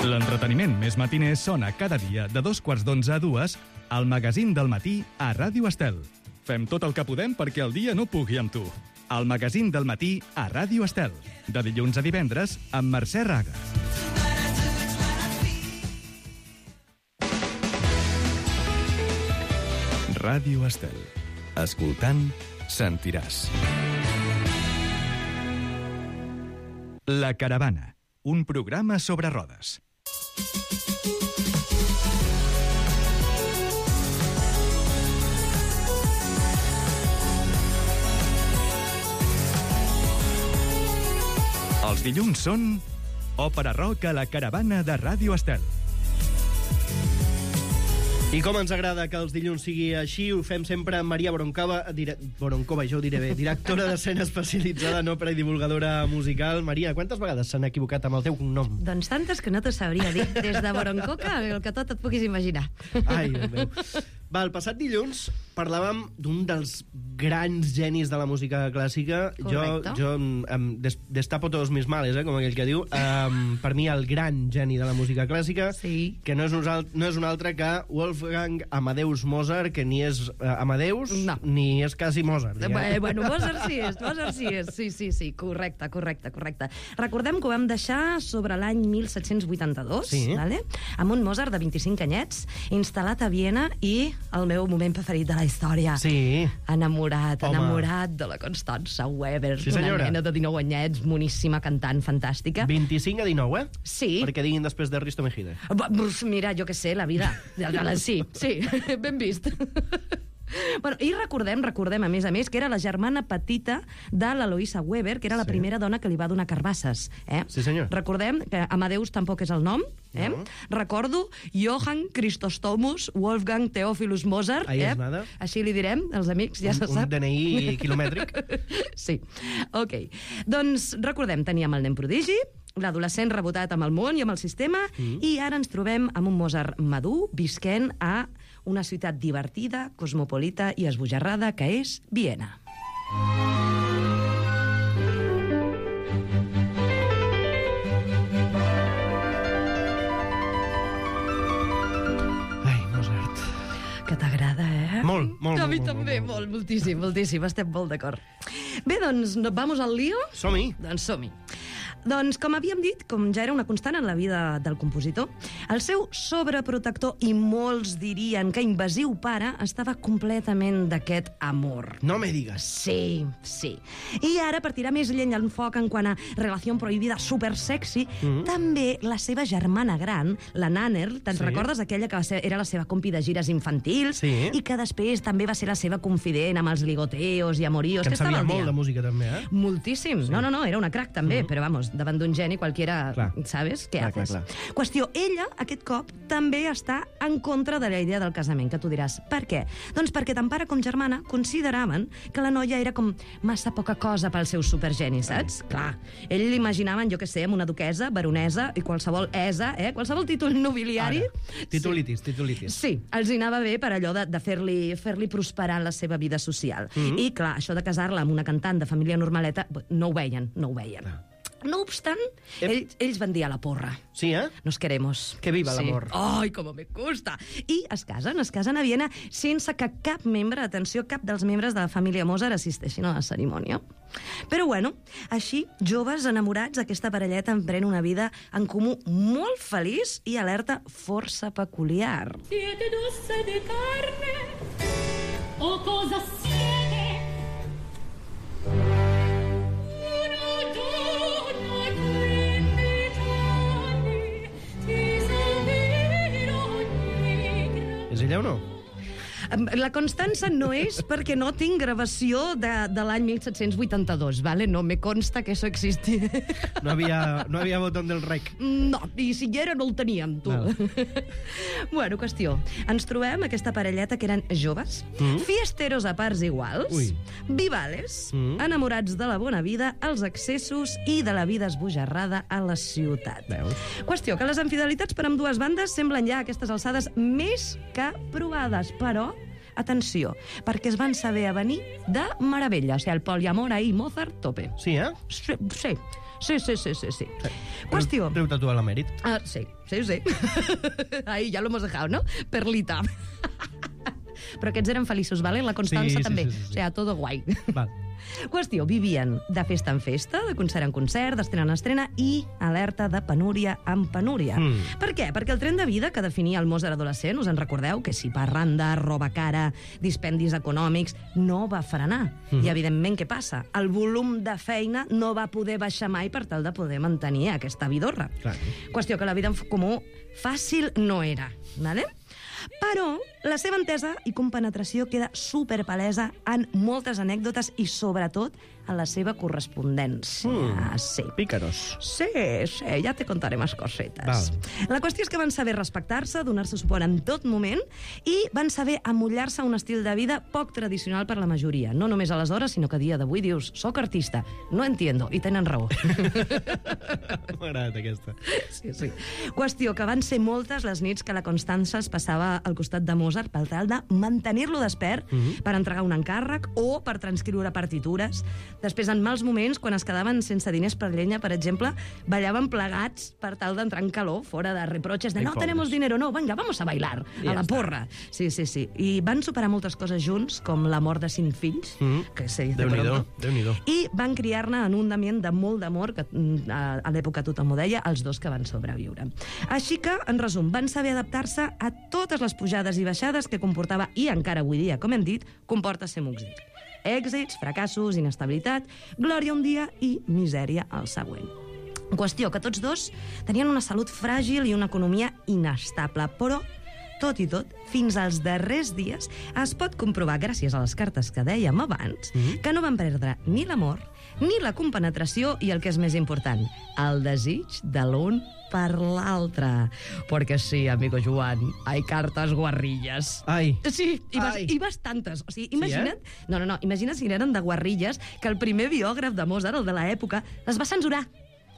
L'entreteniment més matiner sona cada dia de dos quarts d'onze a dues al magazín del matí a Ràdio Estel. Fem tot el que podem perquè el dia no pugui amb tu. El magazín del matí a Ràdio Estel. De dilluns a divendres amb Mercè Raga. Ràdio Estel. Escoltant, sentiràs. La Caravana. Un programa sobre rodes. Els dilluns són Òpera Rock a la Caravana de Ràdio Estel. I com ens agrada que els dilluns sigui així, ho fem sempre amb Maria Boroncova, dire... Boroncova, jo ho diré bé, directora d'escena especialitzada en òpera i divulgadora musical. Maria, quantes vegades s'han equivocat amb el teu cognom? Doncs tantes que no t'ho sabria dir. Des de Boroncoca, el que tot et puguis imaginar. Ai, Déu meu. Va, el passat dilluns parlàvem d'un dels grans genis de la música clàssica. Correcte. Jo, jo em des, destapo todos mis males, eh, com aquell que diu. Um, per mi, el gran geni de la música clàssica, Sí. que no és, un, alt- no és un altre que Wolfgang Amadeus Mozart, que ni és uh, Amadeus, No. ni és quasi Mozart. Eh, diguem. Bueno, Mozart sí és, Mozart sí és. Sí, sí, sí, correcte, correcte, correcte. Recordem que ho vam deixar sobre l'any mil set-cents vuitanta-dos, Sí. vale? Amb un Mozart de vint-i-cinc anyets, instal·lat a Viena i el meu moment preferit de la història. Sí. Enamorat, Home. enamorat de la Constança Weber, Sí, una senyora. nena de dinou anyets, moníssima, cantant, fantàstica. vint-i-cinc a dinou, eh? Sí. Perquè diguin després de Risto Mejide. Va, pues mira, jo què sé, la vida. Sí, sí, ben vist. Bueno, i recordem, recordem, a més a més, que era la germana petita de l'Eloïsa Weber, que era la Sí. primera dona que li va donar carbasses. Eh? Sí, senyor. Recordem que Amadeus tampoc és el nom. Eh? No. Recordo Johann Christostomus Wolfgang Theophilus Mozart. Ahí eh? és nada. Així li direm, els amics, ja un, se un sap. D N I quilomètric. Sí, ok. Doncs recordem, teníem el nen prodigi, l'adolescent rebotat amb el món i amb el sistema, mm. i ara ens trobem amb un Mozart madur, visquent a una ciutat divertida, cosmopolita i esbojarrada, que és Viena. Ai, Mozart. Que t'agrada, eh? Molt, molt, A mi molt, també, molt, molt, moltíssim, moltíssim, estem molt d'acord. Bé, doncs, no- vamos al lío? Som-hi. Doncs som-hi. Doncs, com havíem dit, com ja era una constant en la vida del compositor, el seu sobreprotector i molts dirien que invasiu pare estava completament d'aquest amor. No me digues. Sí, sí. I ara, per tirar més llenya al foc en quant a relació prohibida supersexy, mm-hmm. també la seva germana gran, la Nanner, te'n Sí. recordes? Aquella que va ser, era la seva compi de gires infantils Sí. i que després també va ser la seva confident amb els ligoteos i amoríos. Que en estava sabia al dia. molt de música, també, eh? Moltíssim. Sí. No, no, no, era una crac, també, mm-hmm. però, vamos, davant d'un geni qualquiera, Clar. ¿sabes? Què Clar, haces? clar, clar. Qüestió, ella, aquest cop, també està en contra de la idea del casament, que tu diràs, per què? Doncs perquè tant pare com germana consideraven que la noia era com massa poca cosa pel seu supergeni, saps? Clar, ell l'imaginaven, jo què sé, amb una duquesa, baronesa i qualsevol esa, eh? Qualsevol títol nobiliari. Ara, titulitis, titulitis. Sí, els hi anava bé per allò de, de fer-li fer-li prosperar en la seva vida social. Mm-hmm. I, clar, això de casar-la amb una cantant de família normaleta, no ho veien, no ho veien. Ah. No obstant, Ep. ells, ells van dir a la porra. Sí, eh? Nos queremos. Que viva Sí. l'amor. Ai, com me gusta. I es casen, es casen a Viena sense que cap membre, atenció, cap dels membres de la família Mozart assisteixin a la cerimònia. Però bueno, així, joves enamorats, aquesta parelleta emprèn una vida en comú molt feliç i alerta força peculiar. Siete dulce de carne, o cosa siete? Una donna quindici anni, ti seguirò negra. És ella o no? La Constança no és perquè no tinc gravació de, de l'any disset vuitanta-dos, ¿vale? No me consta que això existi. No havia, no havia botó del rec. No, i si hi era no el teníem, tu. Val. Bueno, qüestió. Ens trobem aquesta parelleta que eren joves, mm. fiesteros a parts iguals, Ui. vivales, Mm. enamorats de la bona vida, els excessos i de la vida esbojarrada a la ciutat. Veus? Qüestió, que les infidelitats per amb dues bandes semblen ja a aquestes alçades més que provades, però atenció, perquè es van saber a venir de meravella. O sigui, el poliamor ahí, Mozart, tope. Sí, eh? Sí, sí, sí, sí, sí, sí. sí. Qüestió... Treu tatuar l'emèrit. Ah, sí, sí, sí. Ahí ya lo hemos dejado, ¿no? Perlita. Però aquests eren feliços, ¿vale? La Constança Sí, sí, també. sí, sí, sí. O sigui, todo guai. Val. Qüestió, vivien de festa en festa, de concert en concert, d'estrena en estrena i alerta de penúria en penúria. Mm. Per què? Perquè el tren de vida que definia el Mozart adolescent, us en recordeu? Que si parranda, roba cara, dispendis econòmics, no va frenar. Mm. I, evidentment, què passa? El volum de feina no va poder baixar mai per tal de poder mantenir aquesta vidorra. Clar. Qüestió que la vida en comú fàcil no era, ¿vale? Però la seva entesa i compenetració queda superpalesa en moltes anècdotes i, sobretot, en la seva correspondència. Mm. Sí. Pícaros. Sí, sí, ja te contaré més cosetes. Val. La qüestió és que van saber respectar-se, donar-se suport en tot moment i van saber amollar-se a un estil de vida poc tradicional per la majoria. No només aleshores, sinó que a dia d'avui dius, soc artista, no entiendo, i tenen raó. M'ha agradat aquesta. Sí, sí. Qüestió que van ser moltes les nits que la Constança es passava al costat de Mozart per tal de mantenir-lo despert Mhm. per entregar un encàrrec o per transcriure partitures. Després, en mals moments, quan es quedaven sense diners per llenya, per exemple, ballaven plegats per tal d'entrar en calor, fora de reproches de Ai, no pobres. tenemos dinero, no, venga, vamos a bailar, I a ja la està. porra. Sí, sí, sí. I van superar moltes coses junts, com la mort de cinc fills, Mhm. que se dice Déu-n'hi-do, pronto. Déu-n'hi-do. I van criar-ne en un ambient de molt d'amor, que mm, a, a l'època tothom ho deia, els dos que van sobreviure. Així que, en resum, van saber adaptar-se a totes les pujades i baixades que comportava, i encara avui dia, com hem dit, comporta ser músic. Èxits, fracassos, inestabilitat, glòria un dia i misèria al següent. Qüestió que tots dos tenien una salut fràgil i una economia inestable, però tot i tot, fins als darrers dies es pot comprovar, gràcies a les cartes que dèiem abans, Mhm. que no van perdre ni l'amor, ni la compenetració i, el que és més important, el desig de l'un per l'altre. Perquè sí, amigo Joan, hay cartes guarrilles. Ai. Sí, i, bas Ai. i bastantes. O sigui, Sí, imagina't... eh? No, no, no, imagina't si eren de guarrilles que el primer biògraf de Mozart, el de l'època, les va censurar.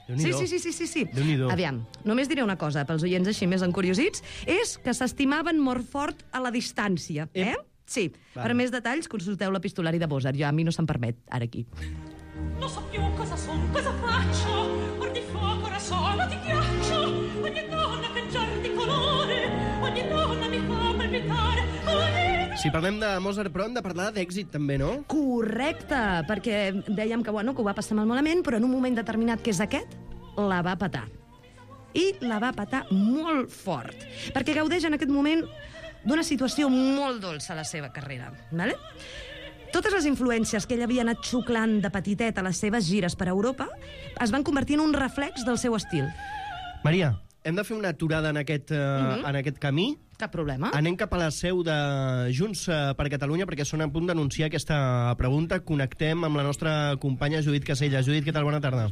Sí, Déu-n'hi-do. sí, sí, sí, sí, sí. Déu-n'hi-do. Aviam, només diré una cosa, pels oients així més encuriosits, és que s'estimaven molt fort a la distància, eh? Ep. Sí. Vale. Per més detalls, consulteu l'epistolari de Mozart. Jo, a mi no se'm permet, ara aquí. Non so più cosa son, cosa faccio, or di fuoco ora sono di ghiaccio, ogni donna cangiar di colore, ogni donna mi fa palpitare, ogni... Si parlem de Mozart, però hem de parlar d'èxit, també, no? Correcte, perquè dèiem que, bueno, que ho va passar molt malament, però en un moment determinat, que és aquest, la va petar. I la va petar molt fort, perquè gaudeix en aquest moment d'una situació molt dolça a la seva carrera. Vale? Totes les influències que ell havia anat xuclant de petitet a les seves gires per Europa es van convertir en un reflex del seu estil. Maria, hem de fer una aturada en aquest, uh, mm-hmm. en aquest camí. Cap problema. Anem cap a la seu de Junts per Catalunya perquè són a punt d'anunciar aquesta pregunta. Connectem amb la nostra companya Judit Casella. Judit, què tal? Bona tarda.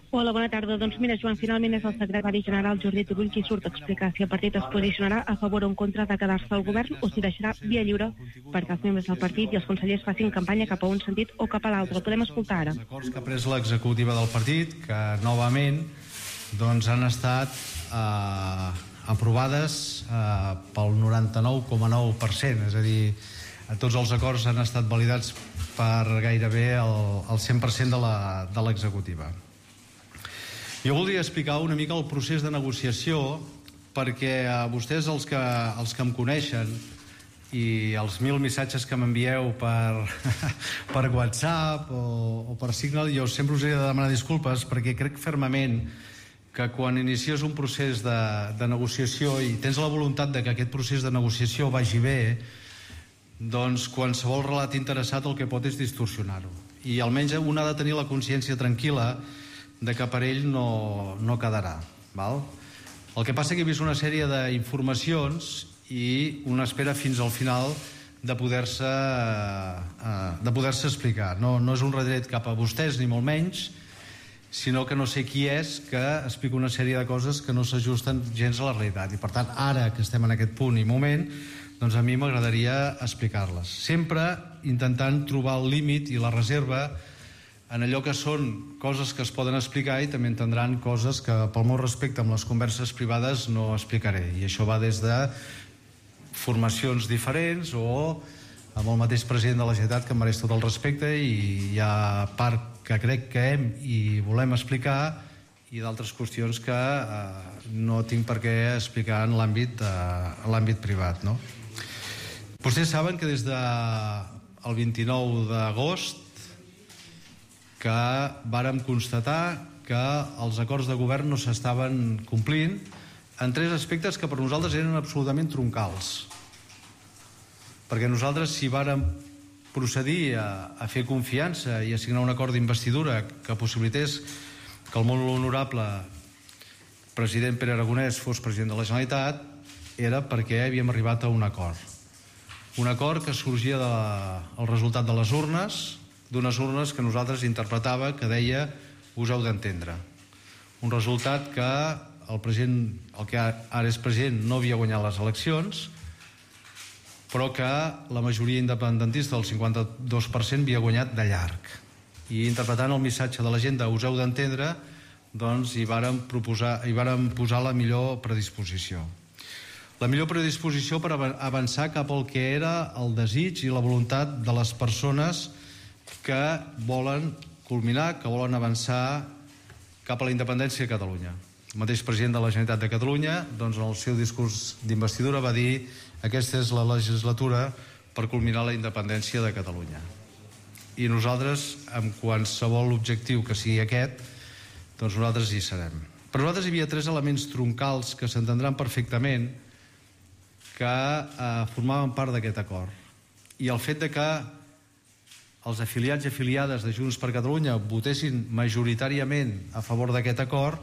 Hola, bona tarda. Doncs mira, Joan, finalment és el secretari general Jordi Turull qui surt a explicar si el partit es posicionarà a favor o en contra de quedar-se al govern o si deixarà via lliure perquè els membres del partit i els consellers facin campanya cap a un sentit o cap a l'altre. El podem escoltar ara. Els acords que ha pres l'executiva del partit, que novament doncs, han estat eh, aprovades eh, pel noranta-nou coma nou per cent, és a dir, tots els acords han estat validats per gairebé el, el cent per cent de l'executiva. Jo voldria explicar una mica el procés de negociació perquè a vostès, els que, els que em coneixen, i els mil missatges que m'envieu per, per WhatsApp o, o per Signal, jo sempre us he de demanar disculpes perquè crec fermament que quan inicies un procés de, de negociació i tens la voluntat de que aquest procés de negociació vagi bé, doncs qualsevol relat interessat el que pot és distorsionar-ho. I almenys un ha de tenir la consciència tranquil·la de que per ell no, no quedarà. Val? El que passa és que he vist una sèrie d'informacions i una espera fins al final de poder-se eh, de poder-se explicar. No, no és un retret cap a vostès, ni molt menys, sinó que no sé qui és que explica una sèrie de coses que no s'ajusten gens a la realitat. I per tant, ara que estem en aquest punt i moment, doncs a mi m'agradaria explicar-les. Sempre intentant trobar el límit i la reserva en allò que són coses que es poden explicar i també entendran coses que, pel meu respecte amb les converses privades, no explicaré. I això va des de formacions diferents o amb el mateix president de la Generalitat, que em mereix tot el respecte, i hi ha part que crec que hem i volem explicar i d'altres qüestions que eh, no tinc per què explicar en l'àmbit eh, l'àmbit privat, no? Vostès saben que des del vint-i-nou d'agost que vàrem constatar que els acords de govern no s'estaven complint en tres aspectes que per nosaltres eren absolutament troncals. Perquè nosaltres, si vàrem procedir a, a fer confiança i a signar un acord d'investidura que possibilités que el molt honorable president Pere Aragonès fos president de la Generalitat, era perquè havíem arribat a un acord. Un acord que sorgia del resultat de les urnes, d'unes urnes que nosaltres interpretava que deia us heu d'entendre. Un resultat que el president, el que ara és president, no havia guanyat les eleccions, però que la majoria independentista, el cinquanta-dos per cent, havia guanyat de llarg. I interpretant el missatge de la gent de us heu d'entendre, doncs hi vàrem proposar, hi vàrem posar la millor predisposició. La millor predisposició per avançar cap al que era el desig i la voluntat de les persones que volen culminar, que volen avançar cap a la independència de Catalunya. El mateix president de la Generalitat de Catalunya, doncs, en el seu discurs d'investidura va dir aquesta és la legislatura per culminar la independència de Catalunya. I nosaltres, amb qualsevol objectiu que sigui aquest, doncs nosaltres hi serem. Per nosaltres hi havia tres elements troncals que s'entendran perfectament que eh, formaven part d'aquest acord. I el fet de que els afiliats i afiliades de Junts per Catalunya votessin majoritàriament a favor d'aquest acord,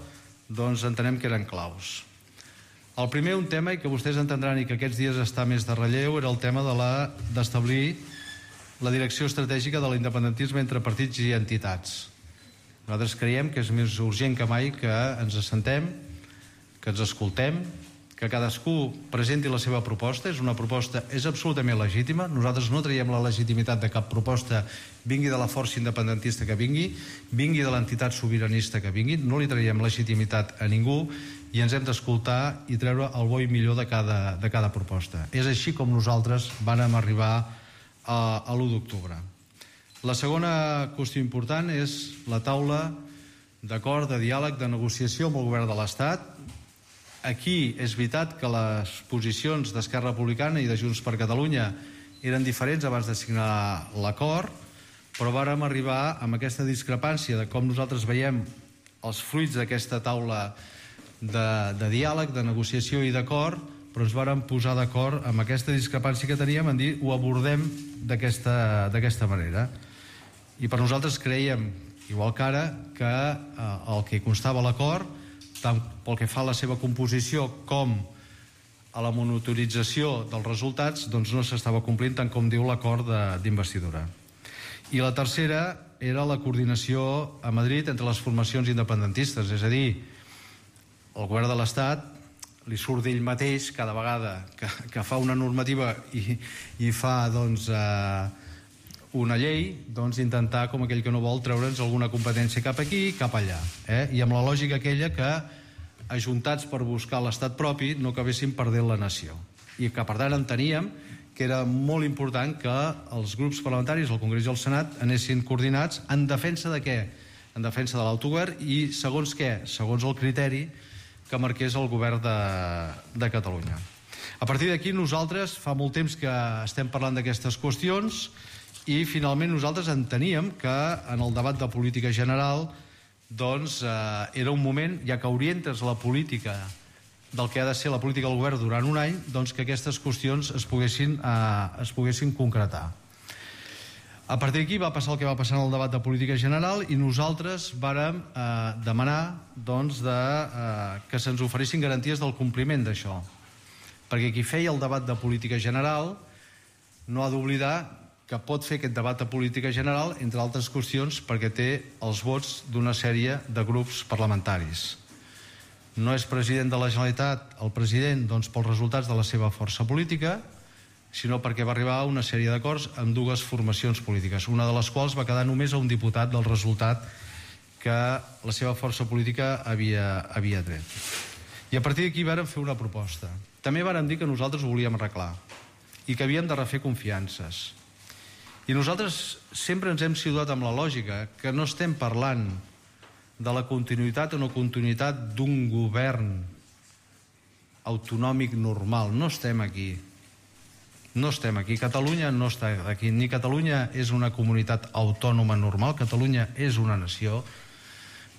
doncs entenem que eren claus. El primer, un tema, i que vostès entendran i que aquests dies està més de relleu, era el tema de la d'establir la direcció estratègica de l'independentisme entre partits i entitats. Nosaltres creiem que és més urgent que mai que ens assentem, que ens escoltem, que cadascú presenti la seva proposta. És una proposta, és absolutament legítima. Nosaltres no traiem la legitimitat de cap proposta, vingui de la força independentista que vingui, vingui de l'entitat sobiranista que vingui, no li traiem legitimitat a ningú i ens hem d'escoltar i treure el bo i millor de cada, de cada proposta. És així com nosaltres vàrem arribar a, a l'u d'octubre. La segona qüestió important és la taula d'acord, de diàleg, de negociació amb el govern de l'Estat. Aquí és veritat que les posicions d'Esquerra Republicana i de Junts per Catalunya eren diferents abans de signar l'acord, però vàrem arribar amb aquesta discrepància de com nosaltres veiem els fruits d'aquesta taula de, de diàleg, de negociació i d'acord, però ens vàrem posar d'acord amb aquesta discrepància que teníem en dir ho abordem d'aquesta d'aquesta manera. I per nosaltres creiem, igual que ara, que eh, el que constava a l'acord, tant pel que fa a la seva composició com a la monitorització dels resultats, doncs no s'estava complint tant com diu l'acord d'investidura. I la tercera era la coordinació a Madrid entre les formacions independentistes, és a dir, el govern de l'Estat li surt d'ell mateix cada vegada que, que fa una normativa i, i fa doncs, eh, una llei, doncs intentar, com aquell que no vol, treure'ns alguna competència cap aquí i cap allà. Eh? I amb la lògica aquella que, ajuntats per buscar l'estat propi, no acabessin perdent la nació. I que, per tant, enteníem que era molt important que els grups parlamentaris, el Congrés i el Senat, anessin coordinats en defensa de què? En defensa de l'autogovern i segons què? Segons el criteri que marqués el govern de, de Catalunya. A partir d'aquí nosaltres fa molt temps que estem parlant d'aquestes qüestions i finalment nosaltres enteníem que en el debat de política general doncs eh, era un moment, ja que orientes la política del que ha de ser la política del govern durant un any, doncs que aquestes qüestions es poguessin, eh, es poguessin concretar. A partir d'aquí va passar el que va passar en el debat de política general i nosaltres vàrem eh, demanar doncs, de, eh, que se'ns oferissin garanties del compliment d'això. Perquè qui feia el debat de política general no ha d'oblidar que pot fer aquest debat de política general, entre altres qüestions, perquè té els vots d'una sèrie de grups parlamentaris. No és president de la Generalitat el president doncs, pels resultats de la seva força política, sinó perquè va arribar a una sèrie d'acords amb dues formacions polítiques, una de les quals va quedar només a un diputat del resultat que la seva força política havia, havia tret. I a partir d'aquí vàrem fer una proposta. També vàrem dir que nosaltres ho volíem arreglar i que havíem de refer confiances. I nosaltres sempre ens hem situat amb la lògica que no estem parlant de la continuïtat o no continuïtat d'un govern autonòmic normal. No estem aquí. No estem aquí. Catalunya no està aquí. Ni Catalunya és una comunitat autònoma normal. Catalunya és una nació.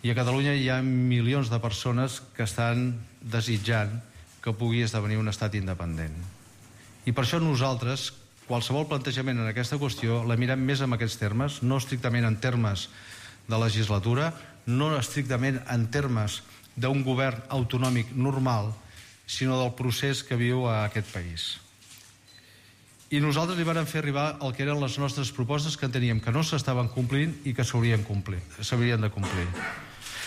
I a Catalunya hi ha milions de persones que estan desitjant que pugui esdevenir un estat independent. I per això nosaltres, qualsevol plantejament en aquesta qüestió, la mirem més en aquests termes, no estrictament en termes de legislatura, no estrictament en termes d'un govern autonòmic normal, sinó del procés que viu a aquest país. I nosaltres li vàrem fer arribar el que eren les nostres propostes que enteníem que no s'estaven complint i que s'haurien de complir.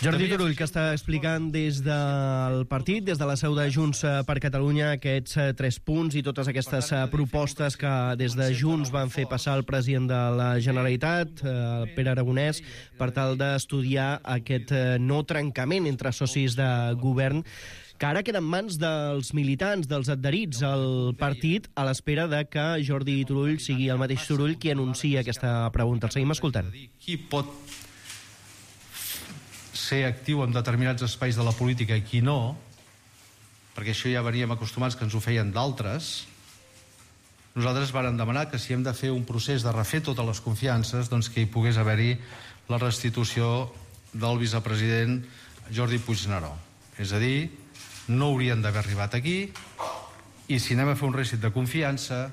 Jordi Turull, que està explicant des del partit, des de la seu de Junts per Catalunya, aquests tres punts i totes aquestes propostes que des de Junts van fer passar el president de la Generalitat, el Pere Aragonès, per tal d'estudiar aquest no trencament entre socis de govern, que ara queda en mans dels militants, dels adherits al partit, a l'espera de que Jordi Turull sigui el mateix Turull qui anuncia aquesta pregunta. El seguim escoltant. Qui pot ser actiu en determinats espais de la política i qui no, perquè això ja veníem acostumats que ens ho feien d'altres, nosaltres vàrem demanar que si hem de fer un procés de refer totes les confiances, doncs que hi pogués haver-hi la restitució del vicepresident Jordi Puigneró. És a dir, no haurien d'haver arribat aquí i si anem a fer un rèsit de confiança,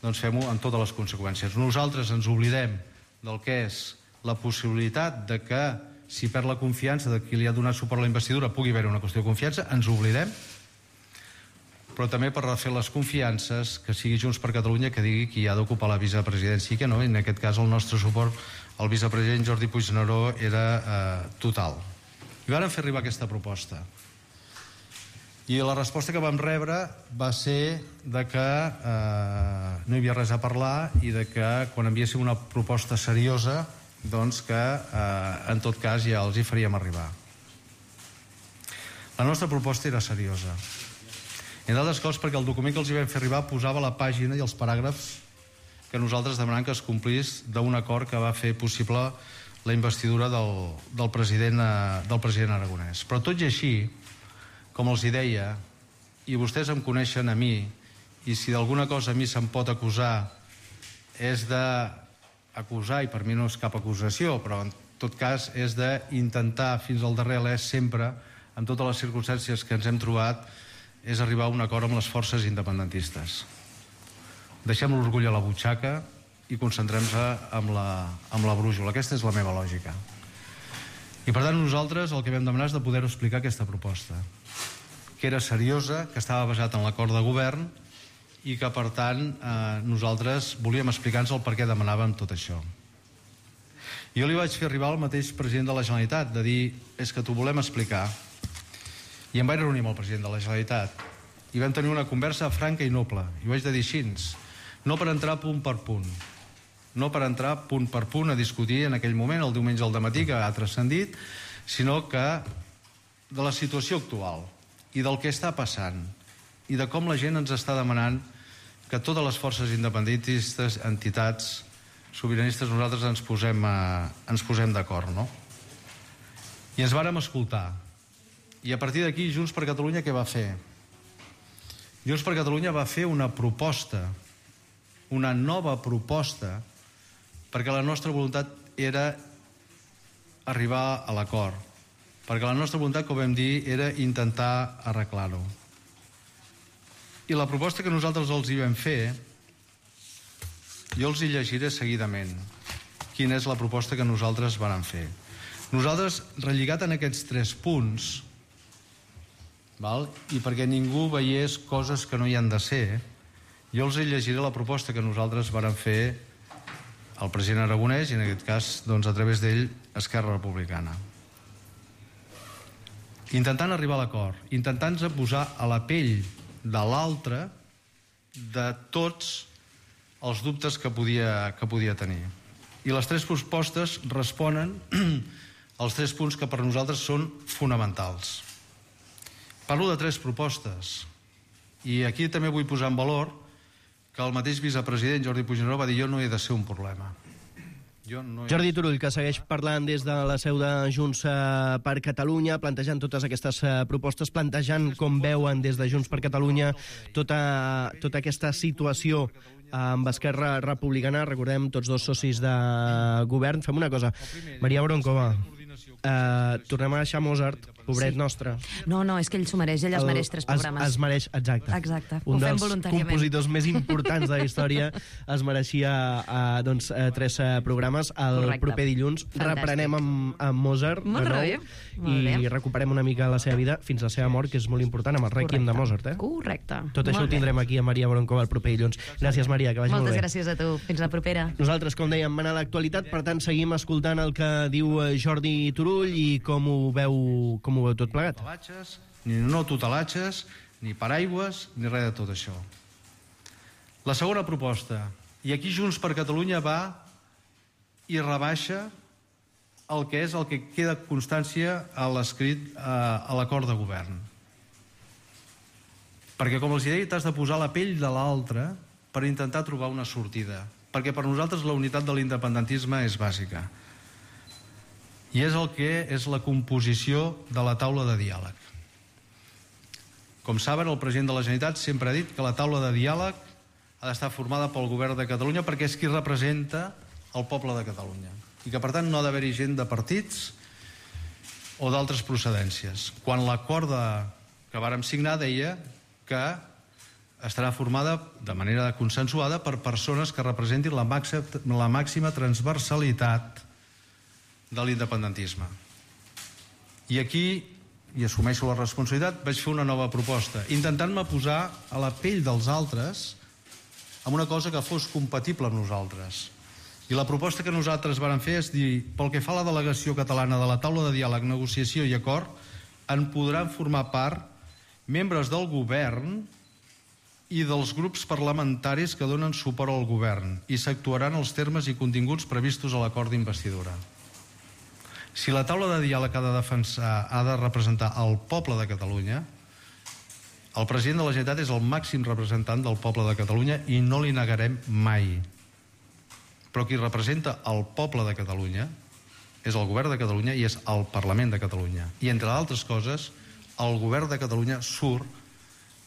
doncs fem-ho amb totes les conseqüències. Nosaltres ens oblidem del que és la possibilitat de que si perd la confiança de qui li ha donat suport a la investidura pugui haver una qüestió de confiança, ens oblidem, però també per refer les confiances que sigui Junts per Catalunya que digui qui ha d'ocupar la vicepresidència i que no, i en aquest cas el nostre suport al vicepresident Jordi Puigneró era eh, total. I vàrem fer arribar aquesta proposta. I la resposta que vam rebre va ser de que eh, no hi havia res a parlar i de que quan enviéssim una proposta seriosa doncs que eh, en tot cas ja els hi faríem arribar. La nostra proposta era seriosa. Entre altres coses perquè el document que els hi vam fer arribar posava la pàgina i els paràgrafs que nosaltres demanàvem que es complís d'un acord que va fer possible la investidura del, del, president, eh, del president Aragonès. Però tot i així, com els hi deia, i vostès em coneixen a mi, i si d'alguna cosa a mi se'm pot acusar és de acusar, i per mi no és cap acusació, però tot cas, és d'intentar fins al darrer alè sempre, amb totes les circumstàncies que ens hem trobat, és arribar a un acord amb les forces independentistes. Deixem l'orgull a la butxaca i concentrem-se amb la, amb la brújula. Aquesta és la meva lògica. I per tant nosaltres el que vam demanar és de poder explicar aquesta proposta, que era seriosa, que estava basat en l'acord de govern i que per tant eh, nosaltres volíem explicar-nos el per què demanàvem tot això. Jo li vaig fer arribar al mateix president de la Generalitat de dir, és que t'ho volem explicar, i em vaig reunir amb el president de la Generalitat i vam tenir una conversa franca i noble, i ho vaig de dir així, no per entrar punt per punt, no per entrar punt per punt a discutir en aquell moment, el diumenge al dematí, que ha transcendit, sinó que de la situació actual i del que està passant i de com la gent ens està demanant que totes les forces independentistes, entitats, sobiranistes, nosaltres ens posem, a, ens posem d'acord, no? I ens vàrem escoltar. I a partir d'aquí, Junts per Catalunya què va fer? Junts per Catalunya va fer una proposta, una nova proposta, perquè la nostra voluntat era arribar a l'acord, perquè la nostra voluntat, com vam dir, era intentar arreglar-ho. I la proposta que nosaltres els hi vam fer, jo els hi llegiré seguidament quina és la proposta que nosaltres vàrem fer. Nosaltres, relligat en aquests tres punts, val? I perquè ningú veiés coses que no hi han de ser, jo els hi llegiré la proposta que nosaltres vàrem fer al president Aragonès i en aquest cas, doncs, a través d'ell, Esquerra Republicana. Intentant arribar a l'acord, intentant-se posar a la pell de l'altre de tots els dubtes que podia, que podia tenir. I les tres propostes responen als tres punts que per nosaltres són fonamentals. Parlo de tres propostes i aquí també vull posar en valor que el mateix vicepresident Jordi Puigneró va dir jo no he de ser un problema. Jo no he... Jordi Turull, que segueix parlant des de la seu de Junts per Catalunya, plantejant totes aquestes propostes, plantejant com veuen des de Junts per Catalunya tota, tota aquesta situació amb Esquerra Republicana. Recordem, tots dos socis de govern. Fem una cosa. Maria Broncova, eh, tornem a deixar Mozart, pobret sí. nostre. No, no, és que ell s'ho mereix, ell es mereix tres programes. Es, es mereix, exacte. Exacte, un ho fem dels voluntàriament. compositors més importants de la història es mereixia eh, doncs, eh, tres eh, programes. El Correcte. Proper dilluns Fantàstic. Reprenem amb, amb Mozart molt de nou bé. Molt i bé. recuperem una mica la seva vida fins a la seva mort, que és molt important, amb el Rèquiem de Mozart. Eh? Correcte. Tot això molt ho tindrem bé. aquí a Maria Broncova el proper dilluns. Gràcies, Maria, que vagi Moltes molt bé. Moltes gràcies a tu. Fins la propera. Nosaltres, com dèiem, van a l'actualitat, per tant, seguim escoltant el que diu Jordi Turull i com ho veu, com ho veu tot plegat. Ni no tutelatges, ni paraigües, ni res de tot això. La segona proposta, i aquí Junts per Catalunya va i rebaixa el que és el que queda constància a l'escrit a, a l'acord de govern. Perquè, com els deia, t'has de posar la pell de l'altre per intentar trobar una sortida. Perquè per nosaltres la unitat de l'independentisme és bàsica. I és el que és la composició de la taula de diàleg. Com saben, el president de la Generalitat sempre ha dit que la taula de diàleg ha d'estar formada pel govern de Catalunya perquè és qui representa el poble de Catalunya. I que, per tant, no ha d'haver-hi gent de partits o d'altres procedències. Quan l'acord que vàrem signar deia que estarà formada de manera consensuada per persones que representin la màxima, la màxima transversalitat de l'independentisme. I aquí, i assumeixo la responsabilitat, vaig fer una nova proposta, intentant-me posar a la pell dels altres amb una cosa que fos compatible amb nosaltres. I la proposta que nosaltres vàrem fer és dir, pel que fa a la delegació catalana de la taula de diàleg, negociació i acord, en podran formar part membres del govern i dels grups parlamentaris que donen suport al govern i s'actuaran els termes i continguts previstos a l'acord d'investidura. Si la taula de diàleg ha de defensar, ha de representar el poble de Catalunya, el president de la Generalitat és el màxim representant del poble de Catalunya i no li negarem mai. Però qui representa el poble de Catalunya és el govern de Catalunya i és el Parlament de Catalunya. I, entre altres coses, el govern de Catalunya surt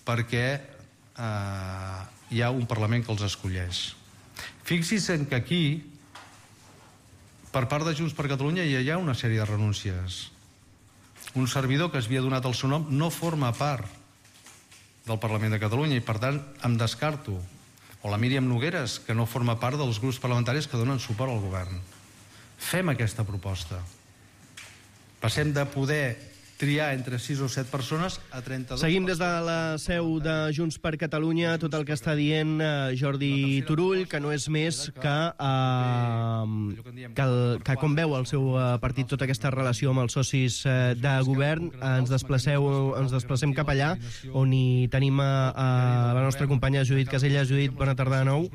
perquè eh, hi ha un Parlament que els escolleix. Fixi's en que aquí Per part de Junts per Catalunya hi ha una sèrie de renúncies. Un servidor que es havia donat el seu nom no forma part del Parlament de Catalunya i, per tant, em descarto. O la Míriam Nogueres, que no forma part dels grups parlamentaris que donen suport al govern. Fem aquesta proposta. Passem de poder triar entre sis o set persones a trenta-dos... Seguim des de la seu de Junts per Catalunya tot el que està dient eh, Jordi Turull, que no és més que, eh, que, el, que com veu el seu eh, partit tota aquesta relació amb els socis eh, de govern, eh, ens, desplaceu, ens desplacem cap allà, on hi tenim a, a la nostra companya Judit Casella. Judit, bona tarda de nou.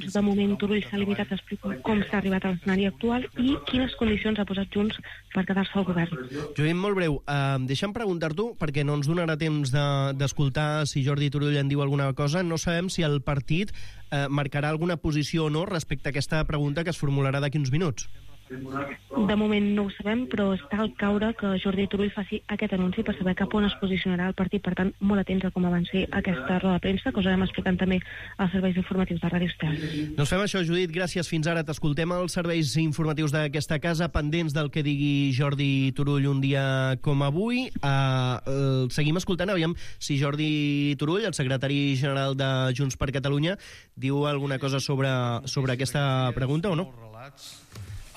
De moment, Turull s'ha limitat a explicar com s'ha arribat a l'escenari actual i quines condicions ha posat Junts per quedar-se al govern. Judit, molt breu, uh, deixa'm preguntar-t'ho, perquè no ens donarà temps d'escoltar de, si Jordi Turull en diu alguna cosa. No sabem si el partit uh, marcarà alguna posició o no respecte a aquesta pregunta que es formularà d'aquí uns minuts. De moment no ho sabem, però està al caure que Jordi Turull faci aquest anunci per saber cap on es posicionarà el partit. Per tant, molt atents a com avanci aquesta roda de premsa, que us anem explicant també als serveis informatius de Ràdio Estel. Doncs fem això, Judit. Gràcies. Fins ara t'escoltem als serveis informatius d'aquesta casa, pendents del que digui Jordi Turull un dia com avui. Uh, uh, seguim escoltant, aviam si Jordi Turull, el secretari general de Junts per Catalunya, diu alguna cosa sobre, sobre aquesta pregunta o no?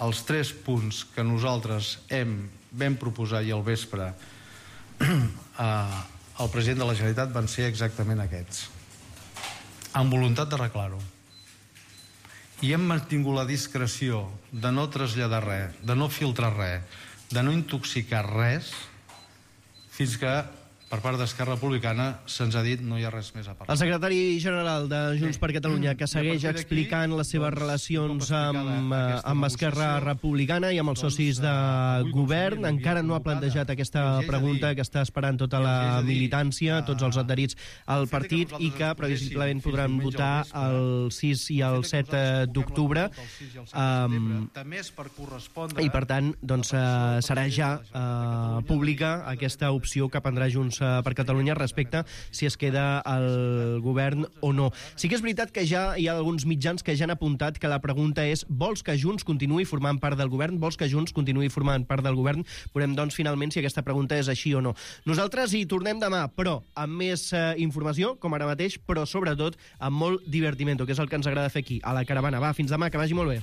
Els tres punts que nosaltres hem, vam proposar i al vespre al president de la Generalitat van ser exactament aquests, amb voluntat d'arreglar-ho. I hem mantingut la discreció de no traslladar res, de no filtrar res, de no intoxicar res, fins que per part d'Esquerra Republicana se'ns ha dit no hi ha res més a parlar. El secretari general de Junts per Catalunya, que segueix explicant les seves relacions amb, amb Esquerra Republicana i amb els socis de govern, encara no ha plantejat aquesta pregunta que està esperant tota la militància, tots els adherits al partit, i que previsiblement podran votar el sis i el set d'octubre. Um, I per tant, doncs, uh, serà ja uh, pública aquesta opció que prendrà Junts per Catalunya respecte si es queda al govern o no. Sí que és veritat que ja hi ha alguns mitjans que ja han apuntat que la pregunta és: vols que Junts continuï formant part del govern? Vols que Junts continuï formant part del govern? Veurem, doncs, finalment si aquesta pregunta és així o no. Nosaltres hi tornem demà, però amb més eh, informació, com ara mateix, però sobretot amb molt divertimento, que és el que ens agrada fer aquí, a la Caravana. Va, fins demà, que vagi molt bé.